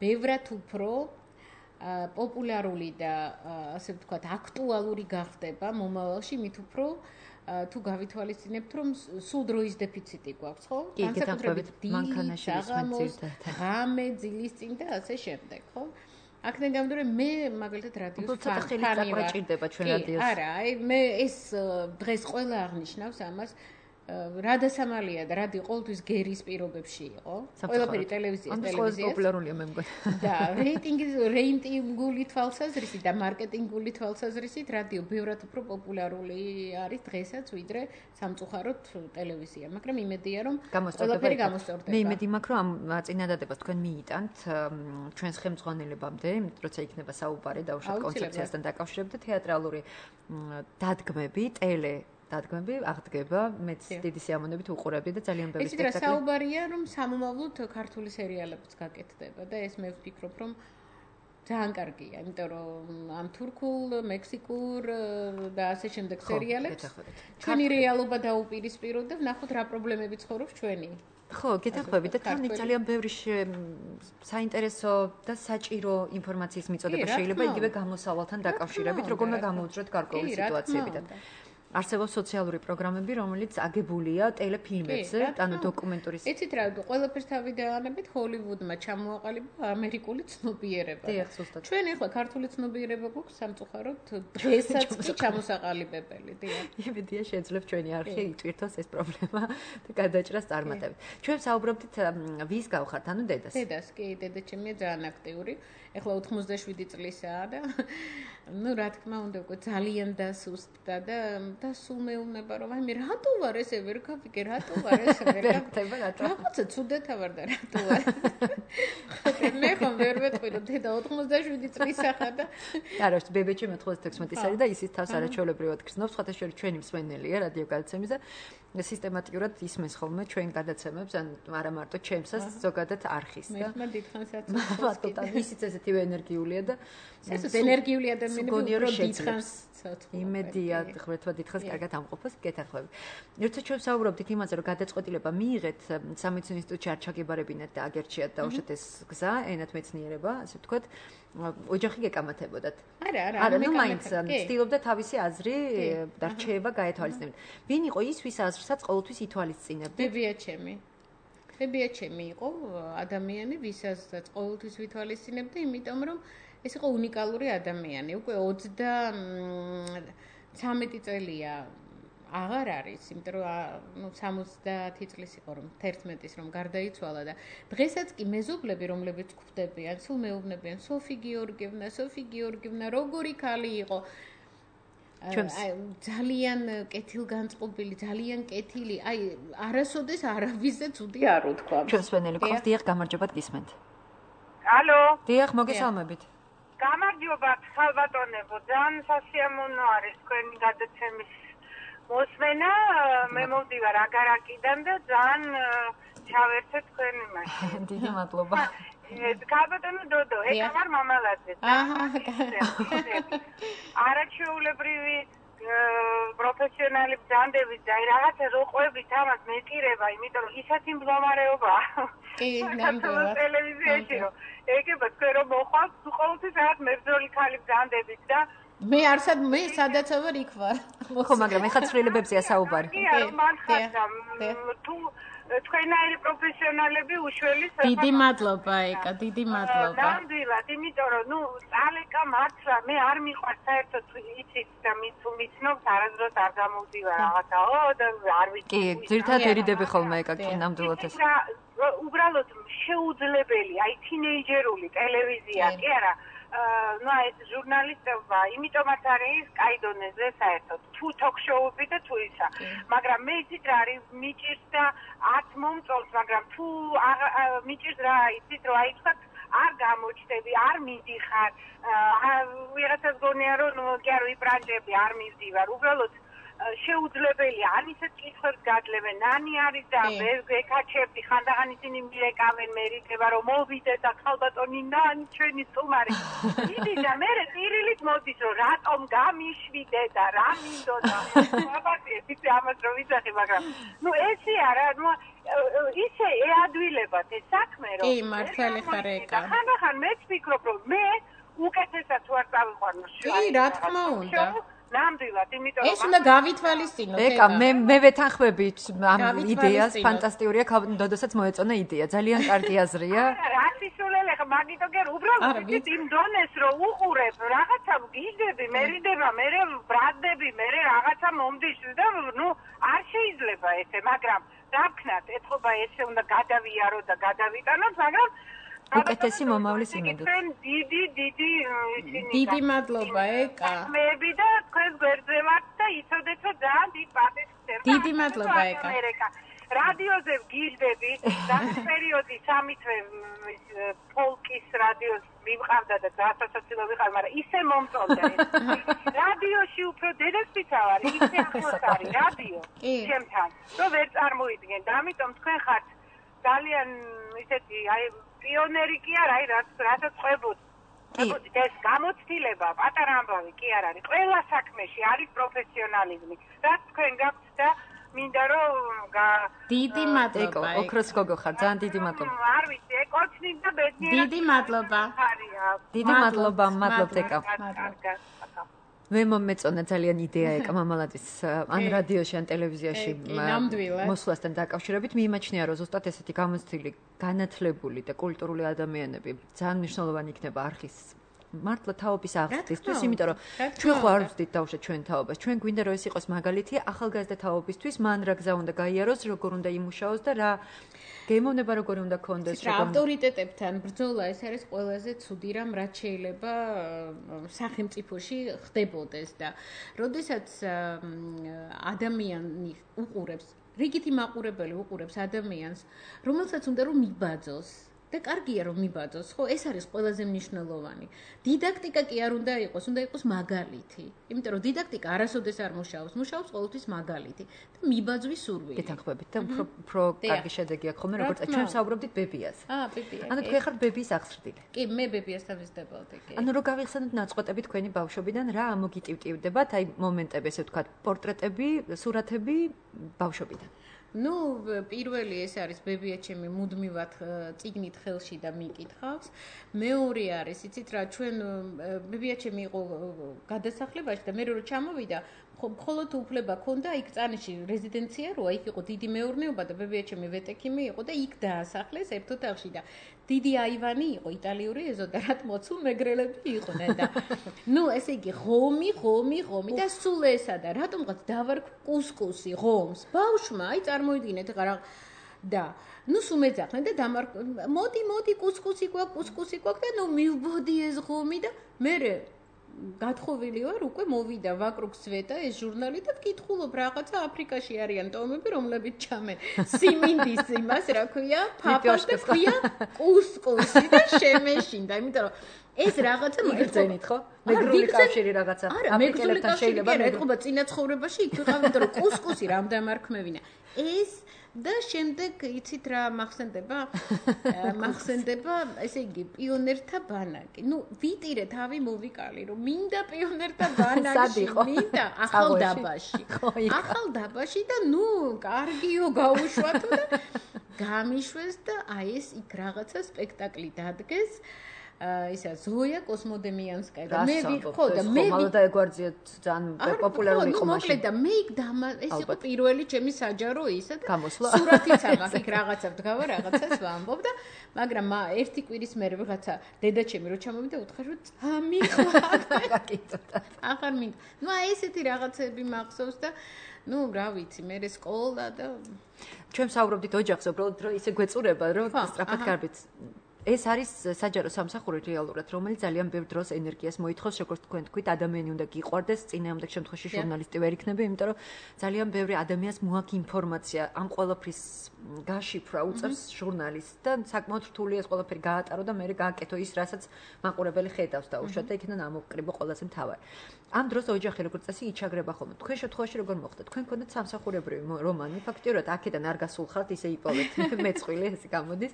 ბევრად უფრო პოპულარული და ასე ვთქვათ, აქტუალური გახდება მომავალში, მით უფრო თუ გავითვალისწინებთ, რომ სულ დროის დეფიციტი გვაქვს, ხო? განსაკუთრებით მანქანაში საღამოს, ღამე, ძილის წინ და ასე შემდეგ, ხო? აქედან გამომდინარე, მე მაგალითად რადიოს ფანი ვარ. ჩვენ რადიოს. არა, აი მე ეს დღეს ყველა აღნიშნავს ამას. რადასამალია და რადიო ყოველთვის გერის პირობებში იყო. ყველაფერი ტელევიზიას. პოპულარულია მე მგონი. და რეიტინგული თვალსაზრისით და მარკეტინგული თვალსაზრისით რადიო ბევრად უფრო პოპულარული არის დღესაც ვიდრე სამწუხაროდ ტელევიზია. მაგრამ იმედია რომ ყველაფერი გამოსწორდება. მე იმედი მაქვს რომ ამ წინადადებას თქვენ მიიტანთ ჩვენს ხელმძღვანელებამდე, როცა იქნება საუბარი დაუშვათ კონცეფციასთან დაკავშირებით თეატრალური დადგმები, დადგმები აღდგება, მეც დიდი სიამოვნებით უყურებდი და ძალიან ბევრი სპექტაკლი. ეს რა საუბარია, რომ სამომავლოდ ქართული სერიალებიც გაკეთდება და ეს მე ვფიქრობ, რომ ძალიან კარგია, იმიტომ რომ ამ თურქულ, მექსიკურ და ასე შემდეგ სერიალებს ჩვენი რეალობა დაუპირისპიროთ და ვნახოთ რა პრობლემები ცხოვრობს ჩვენი. ხო, გეთახმები და თან ძალიან ბევრი საინტერესო და საჭირო ინფორმაციის მიწოდება შეიძლება იგივე გამოსავალთან დაკავშირებით, როგორ უნდა გამოუძღოთ გარკვეული სიტუაციები და არსებობს სოციალური პროგრამები, რომელიც აგებულია ტელეფილმებზე, ანუ დოკუმენტური. იცით რა, ყველაფერს თავი დაანებით ჰოლივუდმა ჩამოაყალიბა ამერიკული ცნობიერება. დიახ, ზუსტად. ჩვენ ახლა ქართული ცნობიერება გვაქვს სამწუხაროდ დღესაც კი ჩამოსაყალიბებელი, დიახ. იმედია შეძლებ ჩვენი არხი იტვირთოს ეს პრობლემა და გადაჭრას წარმატებით. ჩვენ საუბრობდით ვის გავხართ, ანუ დედას. დედას, კი, დედა ჩემია ძალიან აქტიური. ეხლა 87 წლისაა და ну, რა თქმა უნდა, უკვე ძალიან დასუსტდა და სულ მეუბნება რომ აი მე რატო ვარ ესე ვერ გავიგე, რატო ვარ ესე ვერ გავიგე, რაღაცა ცუდათა ვარ და რატო ვარ. მე ხომ ვერ ვეთქვი რომ დედა 87 წლისა ხარ და არა, ბებეჩი 96 წელი და ისიც თავს არაჩვეულებრივად გრძნობს, სხვათა შორის ჩვენი მსმენელია რადიო გადაცემის და სისტემატურად ისმენს ხოლმე ჩვენ გადაცემებს, ან არა მარტო ჩემსაც, ზოგადად არხის და მე დიდხანსაც ისიც ესეთივე ენერგიულია და ეს ენერგიული ადამიანები უფრო დიდხანს ცოცხლობენ. იმედია, ღმერთმა დიდხანს კარგად ამყოფოს, გეთახმებით. ერთად ჩვენ საუბრობდით იმაზე, რომ გადაწყვეტილება მიიღეთ სამედიცინო ინსტიტუტში არ ჩაგებარებინათ და აგერჩიათ დაუშვათ ეს გზა, ენათ მეცნიერება, ასე ვთქვათ, ოჯახი გეკამათებოდათ. არა, ნუ მაინც ცდილობდა თავისი აზრი და რჩევა გაეთვალისწინებდა. ვინ იყო ის, ვის აზრსაც ყოველთვის ითვალისწინებდა? ბებია ჩემი იყო ადამიანი, ვისაც ყოველთვის ვითვალისწინებდა, იმიტომ რომ ეს იყო უნიკალური ადამიანი. უკვე 33 წელია აღარ არის, იმიტომ რომ 70 წლის იყო რომ 11-ის რომ გარდაიცვალა და დღესაც კი მეზობლები რომლებიც გვხვდებიან, სულ მეუბნებიან სოფი გიორგიევნა როგორი ქალი იყო. ძალიან კეთილგანწყობილი, ძალიან კეთილი, აი არასოდეს არავისზე ცუდი არ უთქვა. ჩვენს ვენელი გყავს, დიახ, გამარჯობათ გისმენთ. ალო. დიახ, მოგესალმებით. გამარჯობათ, ხალბატონებო, ძალიან სასიამოვნო არის თქვენი გადაცემის მოსმენა, მე მოვდივარ აგარაკიდან და ძალიან ჩავერთე თქვენი მაშინ. დიდი მადლობა. ხალბატონო დოდო, ეკა ვარ მამალაძე. არაჩვეულებრივი პროფესიონალი ბრძანდებით და რაღაცა როყვებით ამას მეტირება, იმიტომ რომ ისეთი მდგომარეობაა. კი, ნამდვილად. ტელევიზიაში რომ ეგება თქვენ რომ მოხვალთ, ყოველთვის რაღაც მებრძოლი ქალი ბრძანდებით და მე არსად მე სადაც ვარ იქ ვარ. ხო, მაგრამ ეხლა ცვლილებებზია საუბარი. კი, მართლა თუ თქვენაირი პროფესიონალები უშველის დიდი მადლობა ეკა, დიდი მადლობა. ნამდვილად, იმიტომ რომ ალეკა მართლა მე არ მიყვარს საერთოდ იცით და მიცნობთ არასდროს არ გამოვდივარ რაღაცაო და არ ვიცი. კი, ძირთად ერიდები ხოლმე ეკა, კი, ნამდვილად ეს. უბრალოდ შეუძლებელი, აი თინეიჯერული ტელევიზია, კი არა. ну ეს ჟურნალისტობა იმიტომაც არის კაი დონეზე საერთოდ თუ ток-შოუები და თუ ისა მაგრამ მე იცით რა არის მიჭირს და 10 მომწონს მაგრამ თუ მიჭირს რა იცით რომ აი თქვა არ გამოჩდები არ მიდიხარ ვიღაცას გონია რომ კი არ ვიბრანჭები არ მივდივარ უბრალოდ შეუძლებელი არ ისეთ კითხვებს გადლევენ ნანი არის და ეკაჩებდი ხანდახან ისინი მირეკავენ მერიდება რომ მოვიდე და ხალბატონი ნანი ჩვენი სტუმარი იდი და მე პირილით მოდის რომ რატომ გამიშვიდე და რა მინდოდა აბა ამას რომ ვიცახი მაგრამ ნუ ესე არა ნუ ისე ეადვილებათ ეს საქმე რომ კი მართალი ხარ ეკა ხანდახან მეც ვფიქრობ რომ მე უკეთესად თუ არ წავიყვანო კი რა თქმა უნდა ნამდვილად, იმიტომ რომ ეს უნდა გავითვალისწინოთ. ეკა, მე ვეთანხმებით ამ იდეას, ფანტასტიკურია, დოდოსაც მოეწონა იდეა. ძალიან კარგი აზრია. რა სისულელე ხა, მაგითო გერ უბრალოდ იმ დონეს რომ უყურებ, რაღაცა გიჟდები, მერიდება, მე ბრადდები, მე რაღაცა მომდიშ და ნუ არ შეიძლება ესე, მაგრამ რა ვქნათ, ეთქობა ესე უნდა გადავიარო და გადავიტანოთ, მაგრამ უკეთესი მომავლის იმედით. დიდი მადლობა ეკა. მეები და თქვენ გვერდზე ვართ და იცოდეთ რომ ძალიან დიდ პატივს ვცემ. დიდი მადლობა ეკა. რადიოზე ვგიჟდები, ამ პერიოდი 3 თვე ფოლკის რადიოს მივყავდა და გასასაცილო ვიყავ, მაგრამ ისე მომწონდა ეს. რადიოში უფრო დედასწრიცა ვარ, ისე ახლოს არის რადიო ჩემთან. რომ ვერ წარმოიდგენ და ამიტომ თქვენ ხართ ძალიან ისეთი აი პიონერი კი არა, რასაც ყვებოდ. ეს გამოცდილება, პატარა ამბავი კი არ არის. ყველა საქმეში არის პროფესიონალიზმი. რაც თქვენ გაქვთ და მინდა რომ დიდი მადლობა. ოქროს გოგო ხარ, ძალიან დიდი მადლობა. არ ვიცი, ეკოცნი და ბედნიერი. დიდი მადლობა. დიდი მადლობა, მადლობთ ეკა. მე მომეწონა ძალიან იდეა ეკა მამალაძის ან რადიოში ან ტელევიზიაში მოსვლასთან დაკავშირებით მიიმაჩნია რომ ზუსტად ესეთი გამოცდილი განათლებული და კულტურული ადამიანები ძალიან მნიშვნელოვანი იქნება არხის მართლა თაობის აღზრდისთვის, იმიტომ რომ ჩვენ ხო არ ვზდით დავუშვათ ჩვენ თაობას. ჩვენ გვინდა რომ ეს იყოს მაგალითი ახალგაზრდა თაობისთვის, მან რა გზა უნდა გაიაროს, როგორ უნდა იმუშაოს და რა გემოვნება როგორ უნდა კონდეს, როგორ ავტორიტეტებთან ბრძოლა ეს არის ყველაზე ცუდი რამ, რაც შეიძლება სახელმწიფოში ხდებოდეს და როდესაც ადამიანი უყურებს, რიგითი მაყურებელი უყურებს ადამიანს, რომელსაც უნდა რომ მიბაძოს და კარგია რომ მიბაძოს, ხო, ეს არის ყველაზე მნიშვნელოვანი. დიდაქტიკა კი არ უნდა იყოს, უნდა იყოს მაგალითი. იმიტომ რომ დიდაქტიკა არასოდეს არ მუშაობს, მუშაობს ყოველთვის მაგალითი და მიბაძვის სურვილი. გეთანხმებით და უფრო კარგი შედეგი აქვს ხოლმე, როგორც ჩვენ საუბრობდით ბებიას. ბებია. ანუ თქვენ ხართ ბებიის აღზრდილი. კი, მე ბებიასთან ვიზრდებოდი, კი. ანუ რო გავიხსენოთ ნაწყვეტები თქვენი ბავშვობიდან, რა ამოგიტივტივდებათ, აი მომენტები, ესე ვთქვათ, პორტრეტები, სურათები ბავშვობიდან. ნუ პირველი ეს არის ბებია ჩემი მუდმივად წიგნით ხელში და მიკითხავს. მეორე არის, იცით რა, ჩვენ ბებია ჩემი იყო გადასახლებაში და მე რო ჩამოვიდა, მხოლოდ უფლება ქონდა იქ წანიში რეზიდენცია როა, იქ იყო დიდი მეურნეობა და ბებია ჩემი ვეტექიმი იყო და იქ დაასახლეს ერთ ოთახში და დიდი აივანი იყო იტალიური ეზო და რაც მოცულ მეგრელები იყვნენ და ნუ ესე იგი ღომი და სულ ესა და რატომღაც დავარ კუსკუსი ღომს ბავშვმა აი წარმოიდგინეთ რა და ნუ სულ მეძახდნენ და მოდი კუსკუსი გვაქვს და ნუ მივბოდი ეს ღომი და მე გათხოვილი ვარ უკვე მოვიდა ვაკრუქს ვეტა ეს ჟურნალი და ვკითხულობ რაღაცა აფრიკაში არიან ტომები რომლებიც ჩამენ სიმინდის იმას რა ქვია ფაფას და ქვია კუსკუსი და შემეშინდა იმიტომ რომ ეს რაღაცა მიგრძენით ხო მეგრული კავშირი რაღაცა აფრიკელებთან შეიძლება ეთყობა წინა ცხოვრებაში იქ ვიყავ იმიტომ რომ კუსკუსი რამ დამარქმევინა ეს და შემდეგ იცით რა მახსენდება ესე იგი პიონერთა ბანაკი. ნუ ვიტირე თავი მოვიკალი რომ მინდა პიონერთა ბანაკში მინდა ახალდაბაში და ნუ კარგიო გაუშვათო და გამიშვეს და აი ეს იქ რაღაცა სპექტაკლი დადგეს. ისა ზოია კოსმოდემიანსკაია და მე ვიყო და მე და ეგვარძია ძალიან პოპულარული იყო მაშინ. მოკლედ და მე იქ ეს იყო პირველი ჩემი საჯარო ისა და სურათიც აქვს იქ რაღაცა ვდგავა რაღაცას ვამბობ და მაგრამ ერთი კვირის მერე ვიღაცა დედა ჩემი რო ჩამოვიდა უთხარ რომ წამიყვა კითხა. ახარ მინდა. ნუ აი ესეთი რაღაცები მახსოვს და ნუ რა ვიცი მე სკოლა და ჩვენ საუბრობდით ოჯახზე უბრალოდ რომ ისე გვეწურება რომ სწრაფად გარბით ეს არის საჯარო სამსახური რეალურად, რომელიც ძალიან ბევრ დროს ენერგიას მოითხოვს, როგორც თქვენ თქვით, ადამიანი უნდა გიყვარდეს, წინააღმდეგ შემთხვევაში ჟურნალისტი ვერ იქნება, იმიტომ რომ ძალიან ბევრი ადამიანს მოაქვს ინფორმაცია, ამ ყველაფრის გაშიფრვა უწევს ჟურნალისტს და საკმაოდ რთულია ეს ყველაფერი გაატარო და მე გააკეთო ის, რასაც მაყურებელი ხედავს და უშუალოდ იქიდან ამოვკრიბო ყველაზე მთავარი. ამ დროს ოჯახი როგორც წესი იჩაგრება ხოლმე. თქვენ შემთხვევაში როგორ მოხდა? თქვენ გქონდათ სამსახურებრივი რომანი, ფაქტიურად აქედან არ გასულხართ, ისე იპოვეთ მეწყვილე ესე გამოდის.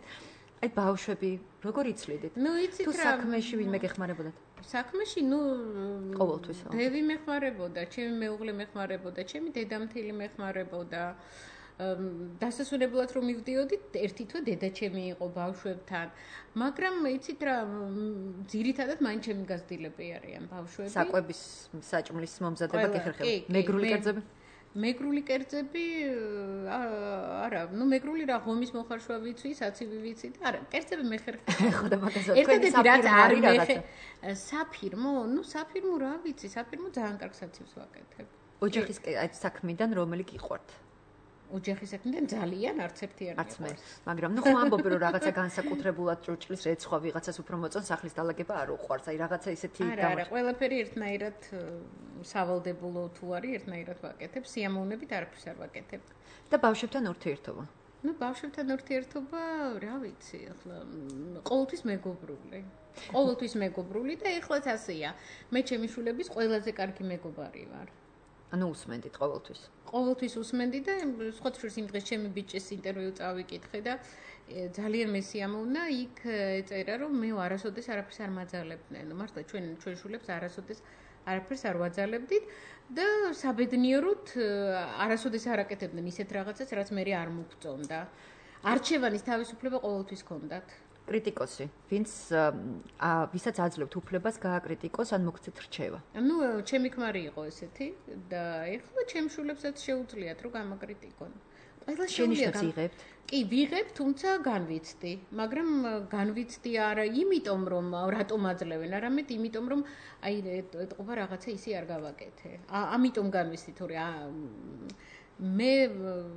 აი ბავშვები როგორ იცლიდით? თუ საქმეში ვინმე გეხმარებოდათ? საქმეში, ყოველთვის. დევი მეხმარებოდა, ჩემი მეუღლე მეხმარებოდა, ჩემი დედამთილი მეხმარებოდა. დასასვენებლად რომ მივდიოდით, ერთი თვე დედაჩემი იყო ბავშვებთან, მაგრამ იცით რა, ძირითადად მაინც ჩემი გაზრდილები არიან ბავშვები. საკვების საჭმლის მომზადება გეხერხება. მეგრული კერძები? მეგრული კერძები არა, მეგრული რა ღომის მოხარშვა ვიცი, საცივი ვიცი და არა, კერძები მეხერხება. ხოდა მაგასაც თქვენი საფირმო რაღაცა. საფირმო, საფირმო რა ვიცი, საფირმო ძალიან კარგ საცივს ვაკეთებ. ოჯახის საქმიდან რომელი გიყვართ? ოჯახის საქმიდან ძალიან არც ერთი არ მიყვარს. მაგრამ ხო ამბობ რომ რაღაცა განსაკუთრებულად ჭურჭლის რეცხვა ვიღაცას უფრო მოწონს, სახლის დალაგება არ უყვარს. აი რაღაცა ისეთი არა, ყველაფერი ერთნაირად სავალდებულო თუ არის, ერთნაირად ვაკეთებ, სიამოვნებით არაფერს არ ვაკეთებ. და ბავშვებთან ურთიერთობა? ბავშვებთან ურთიერთობა, რა ვიცი, ახლა ყოველთვის მეგობრული. ყოველთვის მეგობრული და ეხლაც ასეა. მე ჩემი შვილების ყველაზე კარგი მეგობარი ვარ. ანუ უსმენდით ყოველთვის. ყოველთვის უსმენდი და სხვა შორის იმ დღეს ჩემი ბიჭის ინტერვიუ წავიკითხე და ძალიან მესიამოვნა, იქ ეწერა რომ მე არასოდეს არაფერს არ მაძალებდნენ. მართლა ჩვენ შვილებს არასოდეს არაფერს არ ვაძალებდით და საბედნიეროდ არასოდეს არ აკეთებდნენ ისეთ რაღაცას, რაც მე არ მოგწონდა. არჩევანის თავისუფლება ყოველთვის ჰქონდათ. კრიტიკოსი, ვისაც აძლევთ უფლებას გააკრიტიკოს ან მოგცეთ რჩევა. ჩემი ქმარი იყო ესეთი და ეხლა ჩემ შვილებსაც შეუძლიათ რომ გამაკრიტიკონ. ყველა შეუძლიათ იღებთ? კი, ვიღებ, თუმცა განვიცდი, მაგრამ განვიცდი არა იმიტომ რომ რატომ აძლევენ, არამედ იმიტომ რომ აი ეთყობა რაღაცა ისე არ გავაკეთე. ამიტომ განვიცდი, თორე მე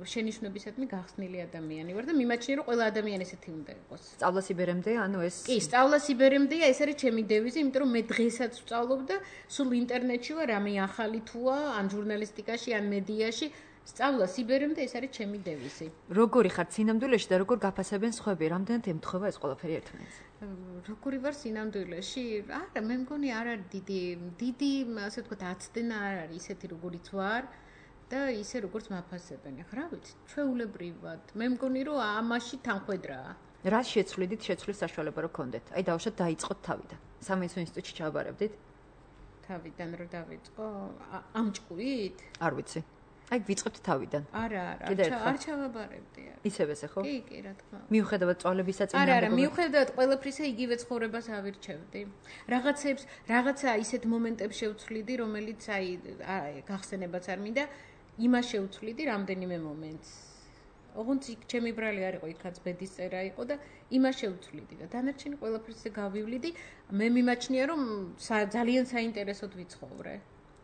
შენიშვნებისადმი გახსნილი ადამიანი ვარ და მიმაჩნია რომ ყველა ადამიანი ესეთი უნდა იყოს. სწავლა სიბერემდე, ანუ ეს კი, სწავლა სიბერემდეა, ეს არის ჩემი დევიზი, იმიტომ რომ მე დღესაც ვსწავლობ და სულ ინტერნეტში ვარ, რამე ახალი თუა, ან ჟურნალისტიკაში, ან მედიაში, სწავლა სიბერემდე ეს არის ჩემი დევიზი. როგორი ხარ სინამდვილეში და როგორ გაფასებენ სხვები? რამდენად ემთხვევა ეს ყველაფერი ერთმანეთს? როგორი ვარ სინამდვილეში? არა, მე მგონი არ არის დიდი, ასე ვთქვათ, აცდენა არ არის ისეთი როგორიც ვარ. და ისე როგორც მაფასებენ. ახლა რა ვიცი, ჩვეულებრივად. მე მგონი რომ ამაში თანხwebdriverაა. რა შეცვლიდით შეცვლის საშუალება რო გქონდეთ? აი დავუშვათ დაიწყოთ თავიდან. სამინისტრო ინსტიტუტში ჩაბარებდით? თავიდან რო დავიწყო, ამ ჭკუით? არ ვიცი. აი ვიწყებთ თავიდან. არა, არ ჩავაბარებდი. ისევ ხო? კი, რა თქმა უნდა. მიუხედავად წვალებისა წინააღმდეგ. არა, მიუხედავად ყველაფრისა იგივე ცხოვრებას ავირჩევდი. რაღაცა ისეთ მომენტებს შევცვლიდი, რომელიც აი გახსენებაც არ მინდა. იმას შევცვლიდი რამდენიმე მომენტს. ოღონდ ჩემი ბრალი არ იყო, იქაც ბედის წერა იყო და იმას შევცვლიდი და დანარჩენი ყველაფერზე გავივლიდი. მე მიმაჩნია რომ ძალიან საინტერესოდ ვიცხოვრე.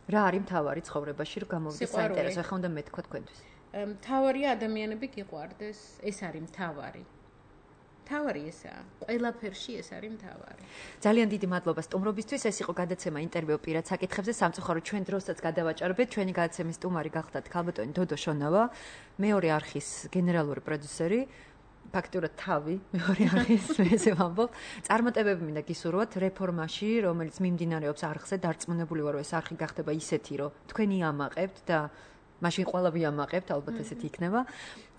რა არის მთავარი ცხოვრებაში რომ გამოვიდეს საინტერესო? ახლა უნდა მეთქვა თქვენთვის. მთავარია ადამიანები გიყვარდეს, ეს არის მთავარი. მთავარი ესაა. ყველაფერში ეს არის მთავარი. ძალიან დიდი მადლობა სტუმრობისთვის. ეს იყო გადაცემა ინტერვიუ პირად საკითხებზე. სამწუხაროდ ჩვენ დროსაც გადავაჭარბეთ. ჩვენი გადაცემის სტუმარი გახდათ ქალბატონი დოდო შონავა, მეორე არხის გენერალური პროდიუსერი. ფაქტურად თავი მეორე არხის ესე ვამბობ. წარმატებები მინდა გისურვოთ რეფორმაში, რომელიც მიმდინარეობს არხზე. დარწმუნებული ვარ, რომ ეს არხი გახდება ისეთი, რომ თქვენი ამაყებთ და მაშინ ყველა ვიამაყებთ, ალბათ ესეთი იქნება.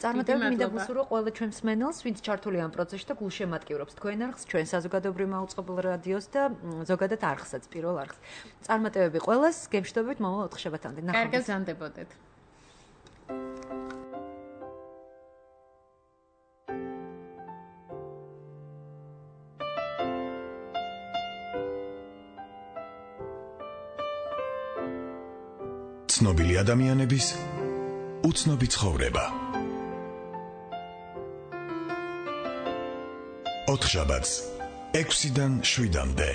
წარმატებები მინდა გისურვო ყველა ჩვენ მსმენელს, ვინც ჩართული ამ პროცესში და გულშემატკივრობს თქვენ არხს, ჩვენ საზოგადოებრივ მაუწყებელ რადიოს და ზოგადად არხსაც, პირველ არხს. წარმატებები ყველას, გემშვიდობით მომავალ 4 შაბათამდე. კარგად ზამდებოდეთ. ცნობილი ადამიანების უცნობი ცხოვრება. 4 შაბათს 6-დან 7-მდე.